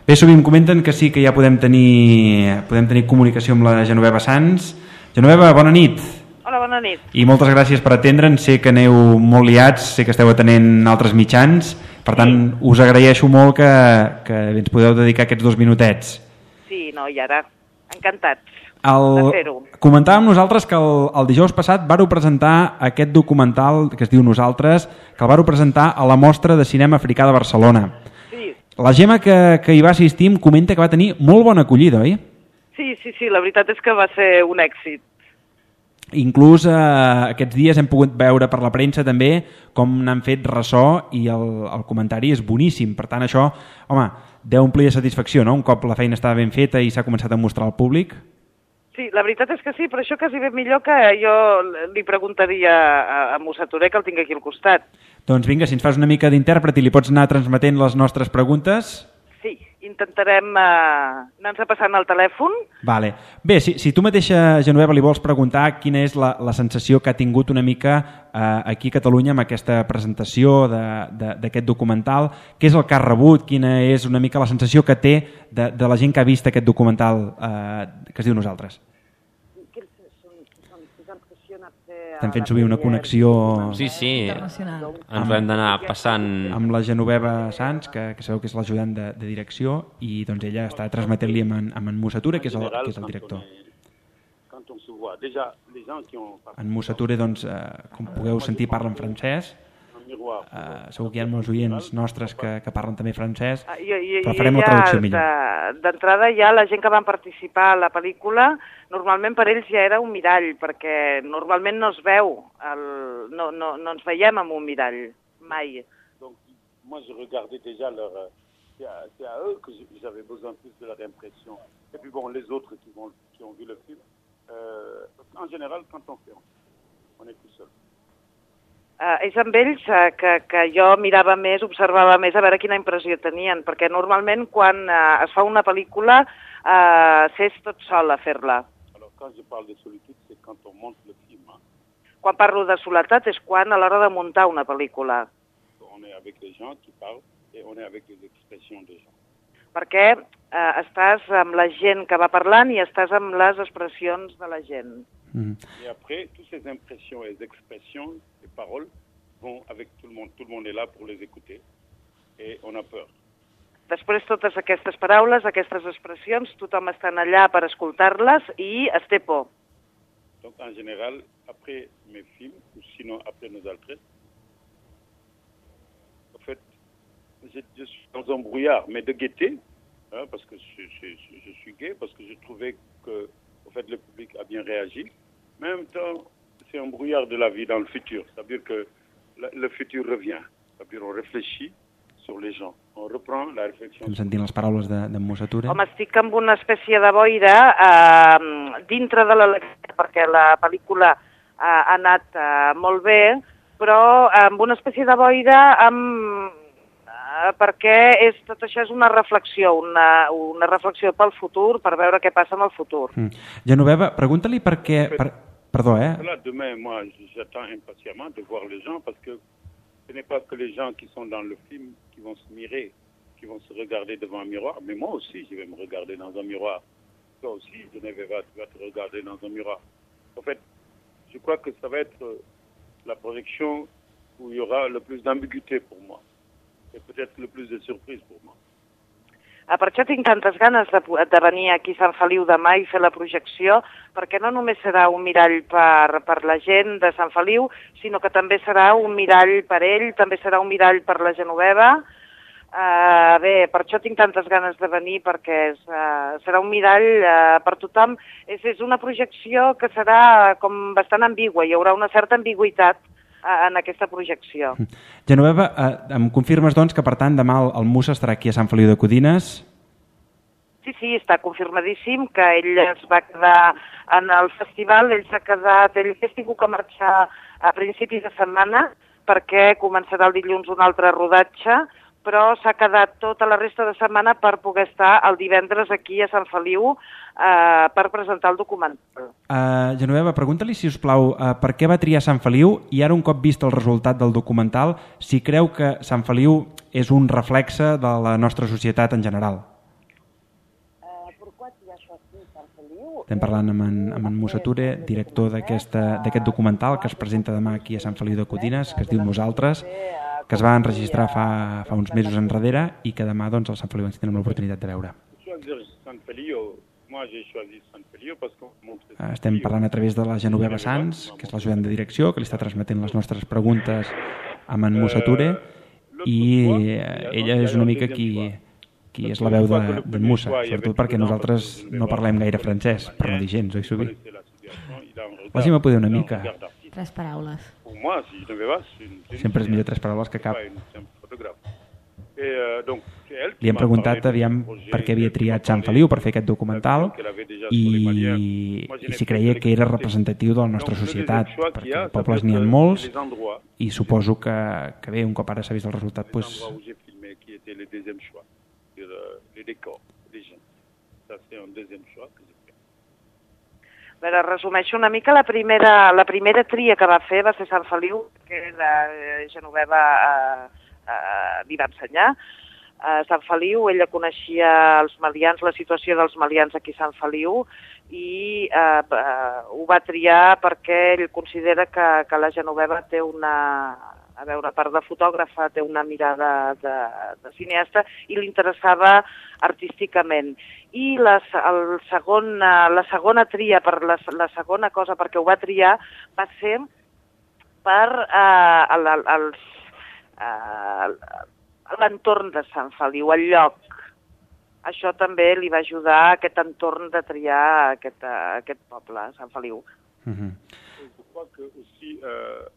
Bé, sovint comenten que sí que ja podem tenir, podem tenir comunicació amb la Genoveva Sans. Genoveva, bona nit. Hola, bona nit. I moltes gràcies per atendre'ns. Sé que aneu molt liats, sé que esteu atenent altres mitjans. Per tant, sí. us agraeixo molt que, que ens podeu dedicar aquests dos minutets. Sí, no, i ara, encantats el... de fer-ho. Comentàvem nosaltres que el, el dijous passat vareu presentar aquest documental que es diu Nosaltres, que el vareu presentar a la Mostra de Cinema Africà de Barcelona. Sí. La Gemma que, que hi va assistir em comenta que va tenir molt bona acollida, oi? Sí, sí, sí, la veritat és que va ser un èxit. Inclús eh, aquests dies hem pogut veure per la premsa també com n'han fet ressò i el, el comentari és boníssim. Per tant, això, home, deu omplir de satisfacció, no? Un cop la feina estava ben feta i s'ha començat a mostrar al públic. Sí, la veritat és que sí, però això quasi bé millor que jo li preguntaria a, a Musa Touré, que el tinc aquí al costat. Doncs vinga, si ens fas una mica d'intèrpret i li pots anar transmetent les nostres preguntes... Sí, intentarem uh, anar-nos passant el telèfon. Vale. Bé, si, si tu mateixa, Genoveva, li vols preguntar quina és la, la sensació que ha tingut una mica eh, aquí a Catalunya amb aquesta presentació d'aquest documental, què és el que ha rebut, quina és una mica la sensació que té de, de la gent que ha vist aquest documental eh, que es diu Nosaltres? Estem fent sovint una connexió Sí, sí, Internacional. ens hem d'anar passant... amb la Genoveva Sans, que, que sabeu que és l'ajudant de, de direcció, i doncs ella està transmetent-li amb, en, amb en Musa Touré, que és el, que és el director. En Musa Touré, doncs, eh, com pugueu sentir, parla en francès. Uh, segur que hi ha molts oients nostres que, que parlen també francès, Ah, i, i, però farem i la traducció millor. de- D'entrada ja la gent que van participar a la pel·lícula, normalment per ells ja era un mirall, perquè normalment no es veu, el, no, no, no ens veiem amb un mirall, mai. Donc, moi, je regardais déjà leur... C'est à, c'est à eux que j'avais besoin plus de leur impression. Et puis bon, les autres qui, vont, qui ont vu le film, euh, en général, quand on fait, on est tout seul. Uh, és amb ells uh, que, que jo mirava més, observava més a veure quina impressió tenien, perquè normalment quan uh, es fa una pel·lícula uh, s'és tot sol a fer-la. Alors, quand je parle de solitude, c'est quand on monte le film. Hein. Quan parlo de soledat és quan a l'hora de muntar una pel·lícula, On est avec les gens qui parlent et on est avec les expressions des gens. perquè uh, estàs amb la gent que va parlant i estàs amb les expressions de la gent. Mm. Et après, toutes ces impressions et expressions et paroles vont avec tout le monde. Tout le monde est là pour les écouter et on a peur. Després totes aquestes paraules, aquestes expressions, tothom està allà per escoltar-les i es té por. Donc, en général, après mes films, ou sinon après nos altres, en fait, je, je suis dans un brouillard, mais de gaieté, hein, parce que je, je, je suis gai, parce que je trouvais que en fait, le public a bien réagi. Mais en même temps, c'est un brouillard de la vie dans le futur. C'est-à-dire que le, le futur revient. C'est-à-dire qu'on réfléchit sur les gens. On reprend la réflexion. Estem sentint les paraules de, de Musa Touré. Home, estic amb una espècie de boira eh, dintre de la lectura, perquè la pel·lícula eh, ha anat eh, molt bé, però amb una espècie de boira amb, eh, perquè és, tot això és una reflexió, una, una reflexió pel futur, per veure què passa amb el futur. Mm. Genoveva, pregunta-li per què... Per... Perdó, eh? Là, demain, moi, j'attends impatiemment de voir les gens parce que ce n'est pas que les gens qui sont dans le film qui vont se mirer, qui vont se regarder devant un miroir, mais moi aussi, je vais me regarder dans un miroir. Toi aussi, Genoveva, tu vas te regarder dans un miroir. En fait, je crois que ça va être la projection où il y aura le plus d'ambiguïté pour moi et peut-être le plus de surprise pour moi. Ah, per això tinc tantes ganes de, de venir aquí a Sant Feliu demà i fer la projecció, perquè no només serà un mirall per, per la gent de Sant Feliu, sinó que també serà un mirall per ell, també serà un mirall per la Genoveva. Uh, bé, per això tinc tantes ganes de venir, perquè és, uh, serà un mirall uh, per tothom. És, és una projecció que serà com bastant ambigua, hi haurà una certa ambigüitat en aquesta projecció. Genoveva, eh, em confirmes doncs que per tant demà el, el Musa estarà aquí a Sant Feliu de Codines? Sí, sí, està confirmadíssim que ell es va quedar en el festival, ell s'ha quedat, ell ha tingut que marxar a principis de setmana perquè començarà el dilluns un altre rodatge, però s'ha quedat tota la resta de setmana per poder estar el divendres aquí a Sant Feliu eh, per presentar el documental. Uh, Genoveva, pregunta-li, si us plau, uh, per què va triar Sant Feliu i ara un cop vist el resultat del documental, si creu que Sant Feliu és un reflexe de la nostra societat en general. Estem parlant amb en, amb en Musa Ture, director d'aquest documental que es presenta demà aquí a Sant Feliu de Codines, que es diu Nosaltres, que es va enregistrar fa, fa uns mesos enrere i que demà doncs, al Sant Feliu ens tindrem l'oportunitat de veure. Estem parlant a través de la Genoveva Sans, que és l'ajudant de direcció, que li està transmetent les nostres preguntes amb en Musa Ture, i ella és una mica qui... qui és la veu d'en de Musa, sobretot perquè nosaltres no parlem gaire francès, per no dir gens, oi, Subi? Vols me poder una mica? Tres paraules. Sempre és millor tres paraules que cap. Li hem preguntat aviam per què havia triat Sant Feliu per fer aquest documental i, i si creia que era representatiu de la nostra societat, perquè pobles n'hi ha molts i suposo que, que bé, un cop ara s'ha vist el resultat, doncs... les décors des gens. Ça, c'est un deuxième choix que j'ai fait. A veure, resumeixo una mica. La primera, la primera tria que va fer va ser Sant Feliu, que la Genoveva eh, eh, li va ensenyar. A Sant Feliu, ella coneixia els malians, la situació dels malians aquí a Sant Feliu, i eh, eh, ho va triar perquè ell considera que, que la Genoveva té una... a veure, a part de fotògrafa, té una mirada de, de cineasta i li interessava artísticament. I la, el segon, la segona tria, per la, la segona cosa perquè ho va triar, va ser per eh, el, els, eh, l'entorn de Sant Feliu, el lloc. Això també li va ajudar a aquest entorn de triar aquest, aquest poble, Sant Feliu. Mm-hmm. Je crois que aussi... Euh...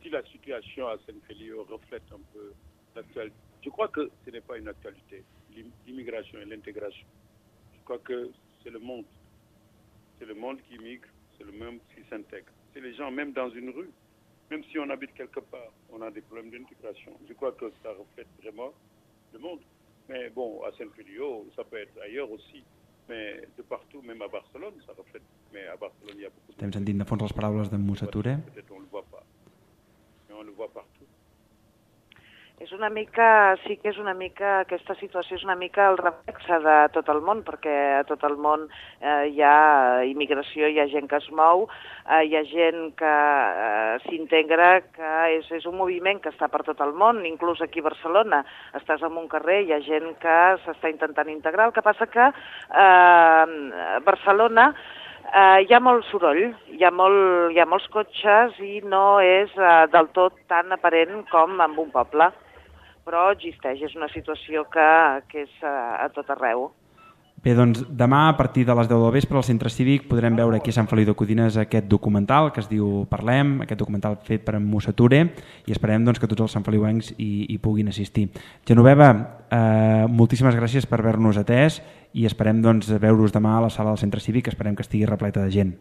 Si la situation à Saint-Feliu reflète un peu l'actualité, je crois que ce n'est pas une actualité, l'immigration et l'intégration. Je crois que c'est le monde. C'est le monde qui migre, c'est le monde qui s'intègre. C'est les gens, même dans une rue, même si on habite quelque part, on a des problèmes d'intégration. Je crois que ça reflète vraiment le monde. Mais bon, à Saint-Feliu, ça peut être ailleurs aussi. Mais de partout, même à Barcelone, ça reflète. Mais à Barcelone, il y a beaucoup de... Estem sentint de fons les paraules d'en Musa Ture. Peut-être on ne le voit pas. On le voit partout. És una mica, sí que és una mica, aquesta situació és una mica el reflexe de tot el món, perquè a tot el món eh, hi ha immigració, hi ha gent que es mou, eh, hi ha gent que eh, s'integra, que és, és un moviment que està per tot el món, inclús aquí a Barcelona. Estàs en un carrer, hi ha gent que s'està intentant integrar, el que passa que eh, a Barcelona Uh, hi ha molt soroll, hi ha, molt, hi ha molts cotxes i no és uh, del tot tan aparent com en un poble, però existeix, és una situació que, que és uh, a tot arreu. Bé, doncs demà a partir de les deu del vespre al Centre Cívic podrem veure aquí a Sant Feliu de Codines aquest documental que es diu Parlem, aquest documental fet per en Musa Ture, i esperem doncs, que tots els santfeliuencs hi, hi puguin assistir. Genoveva, eh, moltíssimes gràcies per haver-nos atès i esperem doncs, veure-us demà a la sala del Centre Cívic, esperem que estigui repleta de gent.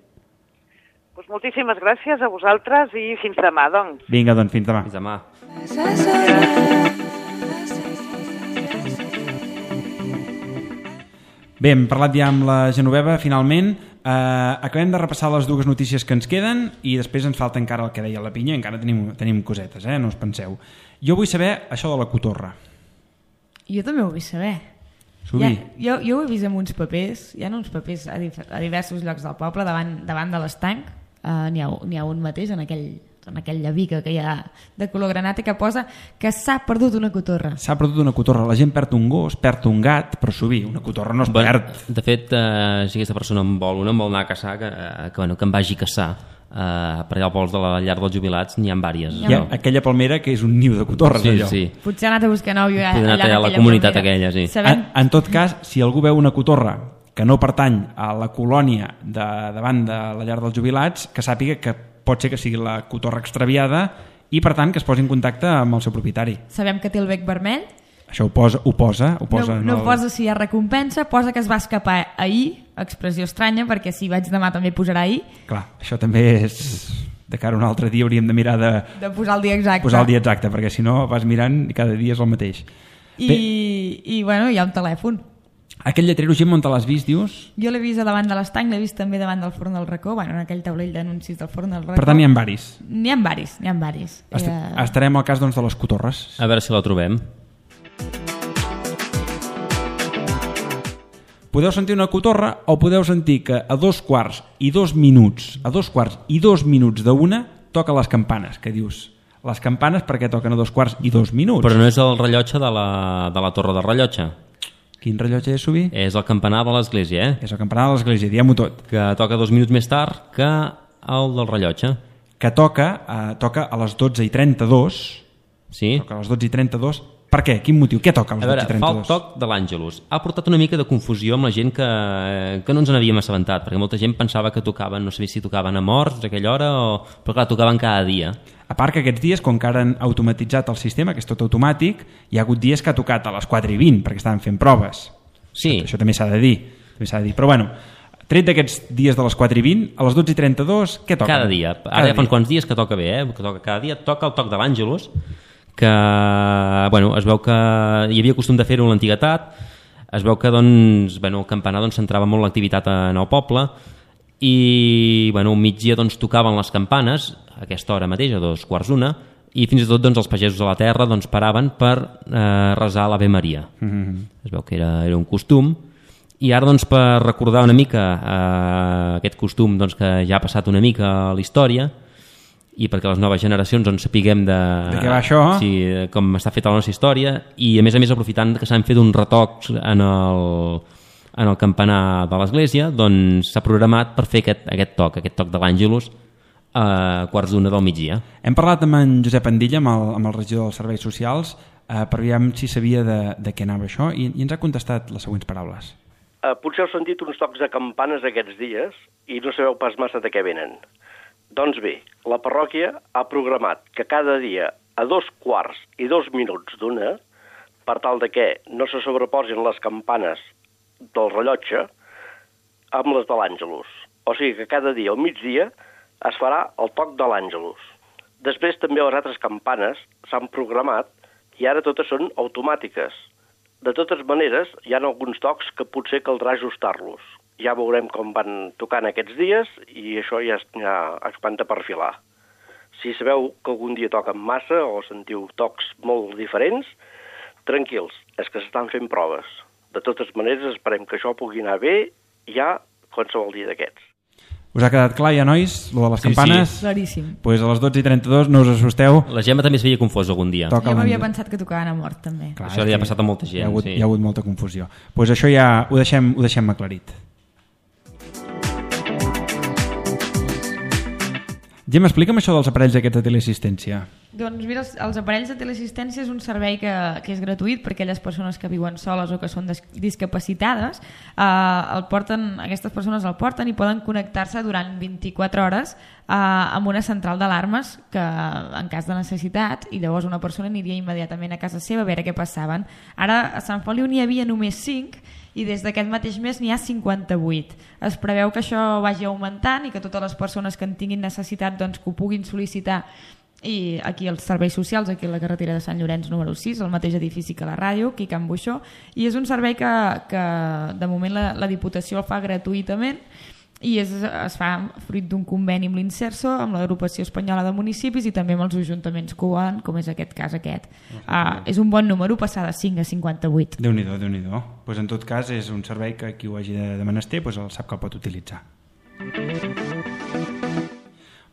Pues moltíssimes gràcies a vosaltres i fins demà, doncs. Vinga, doncs, fins demà. Fins demà. Bé, hem parlat ja amb la Genoveva, finalment. Eh, acabem de repassar les dues notícies que ens queden i després ens falta encara el que deia la Pinya, encara tenim, tenim cosetes, eh? No us penseu. Jo vull saber això de la cotorra. Jo també ho vull saber. Subi. Ja, jo, jo ho he vist amb uns papers, hi ha uns papers a, a diversos llocs del poble, davant, davant de l'estanc, uh, n'hi ha, n'hi ha un mateix en aquell... en aquella viga que hi ha de color granat i que posa que s'ha perdut una cotorra. S'ha perdut una cotorra. La gent perd un gos, perd un gat, però sovint una cotorra no es perd. De fet, eh, si aquesta persona en vol una, en vol anar a caçar, que, que, bueno, que em vagi a caçar. Eh, per allà al pols de la llar dels jubilats n'hi ha vàries. Hi ha no? Aquella palmera que és un niu de cotorres. Sí, allò. sí. Potser ha anat a buscar nòvio allà, allà, allà a la comunitat palmera. Aquella, sí. Sabem... En, en tot cas, si algú veu una cotorra que no pertany a la colònia de, davant de la llar dels jubilats, que sàpiga que pot ser que sigui la cotorra extraviada i per tant que es posi en contacte amb el seu propietari. Sabem que té el bec vermell. Això ho posa, ho posa, ho posa no, en no el... posa si hi ha recompensa, posa que es va escapar ahir, expressió estranya, perquè si vaig demà també posarà ahir. Clar, això també és... de cara a un altre dia hauríem de mirar de... De posar el dia exacte. Posar el dia exacte, perquè si no vas mirant i cada dia és el mateix. I, i bueno, hi ha un telèfon. Aquest lletrero, Gemma, on te l'has vist, dius? Jo l'he vist a davant de l'estany, l'he vist també davant del forn del racó, bueno, en aquell taulell d'anuncis del forn del racó. Per tant, n'hi ha varis. N'hi ha varis, n'hi ha varis. Est eh... Estarem al cas doncs, de les cotorres. A veure si la trobem. Podeu sentir una cotorra o podeu sentir que a dos quarts i dos minuts, a dos quarts i dos minuts d'una, toca les campanes, que dius, les campanes perquè toquen a dos quarts i dos minuts? Però no és el rellotge de la, de la torre de rellotge. Quin rellotge és, Subi? És el campanar de l'església, eh? És el campanar de l'església, diguem-ho tot. Que toca dos minuts més tard que el del rellotge. Que toca, eh, toca a les dotze i trenta-dos. Sí. Toca a les dotze i trenta-dos. Per què? Quin motiu? Què toca a les a veure, dotze i trenta-dos? fa el toc de l'Àngelus. Ha portat una mica de confusió amb la gent que, que no ens n'havíem assabentat, perquè molta gent pensava que tocaven, no sabia si tocaven a morts a aquella hora, o... però clar, tocaven cada dia. A part que aquests dies, com que ara han automatitzat el sistema, que és tot automàtic, hi ha hagut dies que ha tocat a les quatre i vint, perquè estaven fent proves. Sí. Això, això també s'ha de dir. També s'ha de dir. Però bueno, tret d'aquests dies de les quatre i vint, a les dotze i trenta-dos, què toca? Cada dia. Ara ja fa uns quants dies que toca bé, eh? Que toca cada dia. Toca el toc de l'Àngelus, que bueno, es veu que hi havia costum de fer-ho en l'antiguitat, es veu que doncs, bueno, el campanar doncs, centrava molt l'activitat en el poble i bueno, al migdia doncs, tocaven les campanes a aquesta hora mateix, a dos quarts d'una, i fins i tot doncs, els pagesos de la terra doncs, paraven per eh, resar l'Ave Maria. Mm-hmm. Es veu que era, era un costum, i ara doncs, per recordar una mica eh, aquest costum doncs, que ja ha passat una mica a la història, i perquè les noves generacions doncs, sapiguem de, de què va això, sí, com està feta la nostra història, i a més a més aprofitant que s'han fet uns retocs en el, en el campanar de l'església, doncs s'ha programat per fer aquest, aquest toc, aquest toc de l'Àngelus a quarts d'una del migdia. Hem parlat amb en Josep Andilla, amb el, amb el regidor dels Serveis Socials, eh, per veure si sabia de, de què anava això, i, i ens ha contestat les següents paraules. Uh, potser heu sentit uns tocs de campanes aquests dies i no sabeu pas massa de què venen. Doncs bé, la parròquia ha programat que cada dia a dos quarts i dos minuts d'una, per tal de que no se sobreposin les campanes del rellotge amb les de l'Àngelus. O sigui que cada dia al migdia es farà el toc de l'Àngelus. Després també les altres campanes s'han programat i ara totes són automàtiques. De totes maneres, hi ha alguns tocs que potser caldrà ajustar-los. Ja veurem com van tocant aquests dies i això ja, ja espanta per filar. Si sabeu que algun dia toquen massa o sentiu tocs molt diferents, tranquils, és que s'estan fent proves. De totes maneres, esperem que això pugui anar bé ja qualsevol dia d'aquests. Us ha quedat clar ja, nois, lo de les sí, campanes? Sí. Claríssim. Pues a les dotze i trenta-dos no us assusteu. La Gemma també es veia confós algun dia. Toca jo m'havia pensat que tocaven a mort, també. Clar, això li ha passat a molta gent. Hi ha hagut, sí. hi ha hagut molta confusió. Pues això ja ho deixem, ho deixem aclarit. Gemma, explica'm això dels aparells aquests de teleassistència. Doncs mira, els, els aparells de teleassistència és un servei que, que és gratuït per a aquelles persones que viuen soles o que són des, discapacitades. Eh, el porten, aquestes persones el porten i poden connectar-se durant vint-i-quatre hores eh, amb una central d'alarmes que en cas de necessitat, i llavors una persona aniria immediatament a casa seva a veure què passaven. Ara a Sant Feliu n'hi havia només cinc i des d'aquest mateix mes n'hi ha cinquanta-vuit. Es preveu que això vagi augmentant i que totes les persones que en tinguin necessitat doncs, que ho puguin sol·licitar, i aquí als serveis socials, aquí a la carretera de Sant Llorenç número sis, el mateix edifici que la ràdio, aquí a Can Buixó, i és un servei que, que de moment la, la Diputació el fa gratuïtament i és, es fa fruit d'un conveni amb l'Inserso, amb l'Agrupació Espanyola de Municipis i també amb els ajuntaments que ho volen, com és aquest cas aquest. Uh, és un bon número passar de cinc a cinquanta-vuit. Déu-n'hi-do, Déu-n'hi-do. Pues en tot cas és un servei que qui ho hagi de, de menester pues el sap que el pot utilitzar.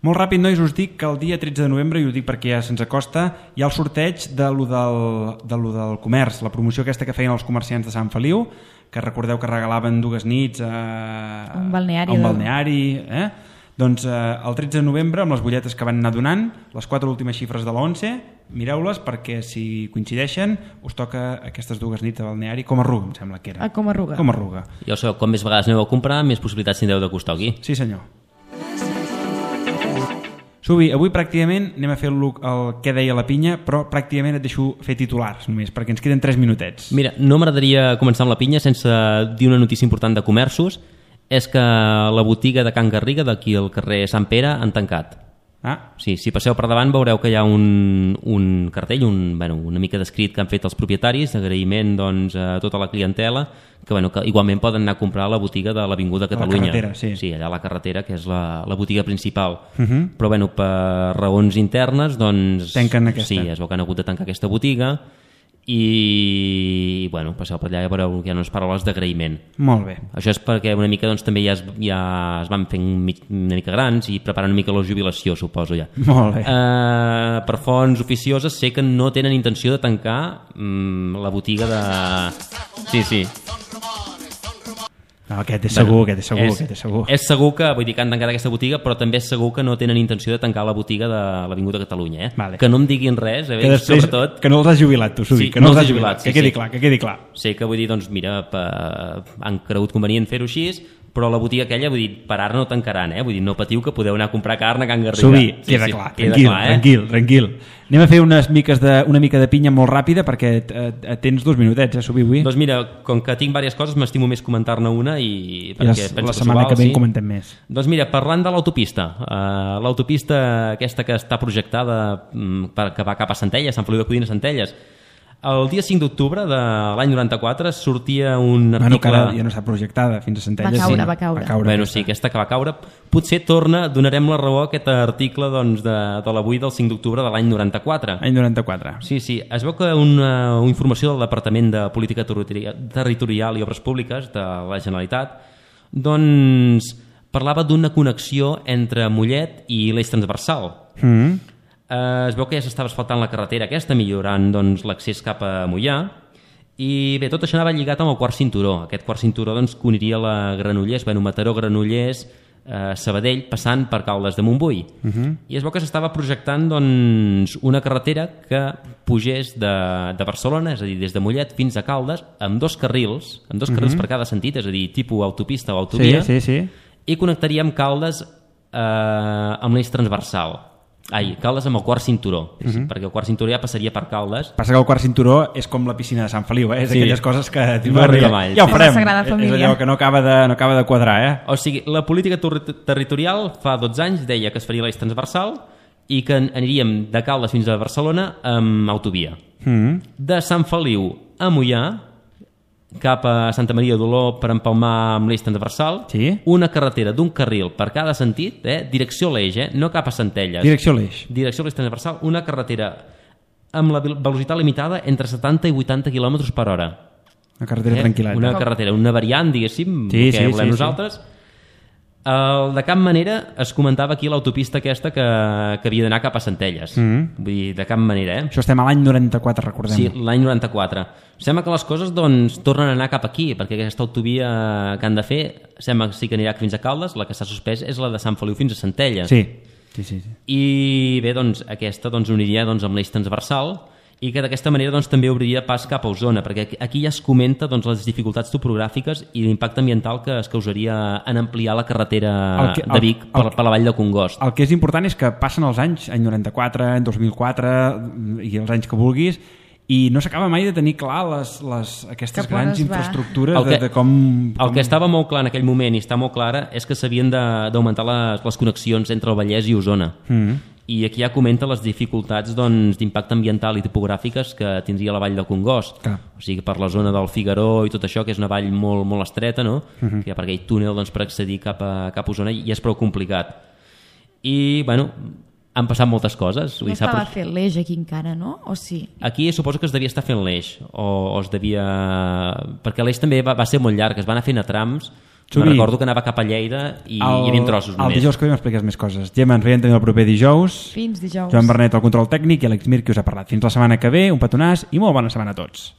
Molt ràpid, nois, us dic que el dia tretze de novembre, i ho dic perquè ja se'ns acosta, hi ha el sorteig de lo del, de lo del comerç, la promoció aquesta que feien els comerciants de Sant Feliu, que recordeu que regalaven dues nits a un balneari. A un balneari eh? Doncs eh, el tretze de novembre, amb les butlletes que van anar donant, les quatre últimes xifres de l'once, mireu-les perquè si coincideixen us toca aquestes dues nits de balneari com a Ruga, em sembla que era. A com a Ruga. Com a Ruga. Ja ho sabeu, com més vegades aneu a comprar, més possibilitats tindreu de costar aquí. Sí, senyor. Subi, avui pràcticament anem a fer el, el que deia la pinya, però pràcticament et deixo fer titulars només, perquè ens queden tres minutets. Mira, no m'agradaria començar amb la pinya sense dir una notícia important de comerços. És que la botiga de Can Garriga, d'aquí al carrer Sant Pere, han tancat. Ah. Sí, si passeu per davant veureu que hi ha un, un cartell, un, bueno, una mica d'escrit que han fet els propietaris, d'agraïment doncs, a tota la clientela, que, bueno, que igualment poden anar a comprar a la botiga de l'Avinguda Catalunya. A la carretera, sí. Sí, allà a la carretera, que és la, la botiga principal. Uh -huh. Però bueno, per raons internes, doncs... Tanquen aquesta. Sí, es veu que han hagut de tancar aquesta botiga i, bueno, passeu per allà i veureu que hi ha unes paraules d'agraïment. Molt bé. Això és perquè una mica doncs, també ja es, ja es van fent una mica grans i preparant una mica la jubilació, suposo ja. Molt bé. Uh, per fonts oficioses sé que no tenen intenció de tancar um, la botiga de... Sí, sí. No, aquest és segur, bueno, aquest és segur, és, aquest és segur. És segur que, vull dir, que han tancat aquesta botiga, però també és segur que no tenen intenció de tancar la botiga de l'Avinguda Catalunya, eh? Vale. Que no em diguin res, eh? Que després, sobretot... que no els has jubilat, tu, Subi, sí, que no, no els els has he jubilat, jubilat, que sí, quedi sí. clar, que quedi clar. Sé que vull dir, doncs mira, pa, han cregut convenient fer-ho així, però la botiga aquella, vull dir, per ara no tancaran, eh? Vull dir, no patiu que podeu anar a comprar carn a Can Garriga. Subi, sí, queda sí, clar, queda tranquil, clar, eh? tranquil, tranquil. Anem a fer unes miques de, una mica de pinya molt ràpida perquè eh, tens dos minutets, eh, Subi, avui? Doncs mira, com que tinc diverses coses, m'estimo més comentar-ne una i... I la, la setmana que ve en comentem més. Doncs mira, parlant de l'autopista, uh, l'autopista aquesta que està projectada um, per, que va cap a Centelles, Sant Feliu de Codines, Centelles, el dia cinc d'octubre de l'any noranta-quatre sortia un article... Bueno, que ara ja no està projectada fins a Centelles. Va caure, sí. va caure. Va caure bueno, aquesta. sí, aquesta que va caure. Potser torna, donarem la raó a aquest article doncs, de, de l'avui del cinc d'octubre de l'any noranta-quatre. Any noranta-quatre. Sí, sí. Es veu que una, una informació del Departament de Política Territorial i Obres Públiques de la Generalitat doncs parlava d'una connexió entre Mollet i l'eix transversal. Mm. Eh, es veu que ja s'estava asfaltant la carretera aquesta, millorant doncs, l'accés cap a Moià, i bé, tot això anava lligat amb el quart cinturó. Aquest quart cinturó doncs, que uniria la Granollers, bueno, Mataró, Granollers, eh, Sabadell, passant per Caldes de Montbui. Uh -huh. I es veu que s'estava projectant doncs, una carretera que pugés de, de Barcelona, és a dir, des de Mollet fins a Caldes, amb dos carrils, amb dos carrils uh -huh. per cada sentit, és a dir, tipus autopista o autovia, sí, sí, sí. i connectaria amb Caldes eh, amb l'eix transversal. Ai, Caldes amb el quart cinturó, uh -huh. perquè el quart cinturó ja passaria per Caldes. Passa que el quart cinturó és com la piscina de Sant Feliu, eh? És sí. aquelles coses que... No arriba mai. Ja ho Sí. farem. És allò que no acaba, de, no acaba de quadrar, eh? O sigui, la política ter territorial fa dotze anys deia que es faria l'eix transversal i que aniríem de Caldes fins a Barcelona amb autovia. Mm. De Sant Feliu a Moià, cap a Santa Maria d'Oló per empalmar amb l'eix transversal, sí. una carretera d'un carril per cada sentit, eh? Direcció a l'eix, eh? No cap a Centelles. Direcció a l'eix. Direcció a l'eix transversal, una carretera amb la velocitat limitada entre setanta i vuitanta quilòmetres per hora. Una carretera eh? tranquil·leta. Una carretera, una variant, diguéssim, sí, que sí, volem sí, nosaltres. Sí. El, de cap manera es comentava aquí l'autopista aquesta que, que havia d'anar cap a Centelles. Mm -hmm. Vull dir, de cap manera, eh? Això estem a l'any noranta-quatre, recordem. Sí, l'any noranta-quatre. Sembla que les coses doncs, tornen a anar cap aquí, perquè aquesta autovia que han de fer sembla que sí que anirà fins a Caldes, la que s'ha suspès és la de Sant Feliu fins a Centelles. Sí, sí, sí. sí. I bé, doncs, aquesta doncs, uniria doncs, amb l'eix transversal i que d'aquesta manera doncs, també obriria pas cap a Osona, perquè aquí ja es comenta doncs, les dificultats topogràfiques i l'impacte ambiental que es causaria en ampliar la carretera que, el, de Vic el, per, per la vall de Congost. El que és important és que passen els anys, any noranta-quatre, any dos mil quatre i els anys que vulguis, i no s'acaba mai de tenir clar les, les, aquestes grans infraestructures que, de, de com, com... El que estava molt clar en aquell moment i està molt clara és que s'havien d'augmentar les, les connexions entre el Vallès i Osona. Mm. I aquí ja comenta les dificultats doncs, d'impacte ambiental i topogràfiques que tindria la vall de Congost. Clar. O sigui, per la zona del Figaró i tot això, que és una vall molt, molt estreta, no? Uh-huh. Que hi ha per aquell túnel doncs, per accedir cap a, cap a Osona i és prou complicat. I, bueno, han passat moltes coses. No estava fent l'eix aquí encara, no? O sí? Aquí suposo que es devia estar fent l'eix, o, o es devia... Perquè l'eix també va, va ser molt llarg, es van anar fent a trams. Me'n recordo que anava cap a Lleida i el, hi havia trossos només. El dijous que ve m'expliques més coses. Gemma, ens veiem també el proper dijous. Fins dijous. Joan Bernet, el control tècnic, i Àlex Mir, que us ha parlat. Fins la setmana que ve, un petonàs i molt bona setmana a tots.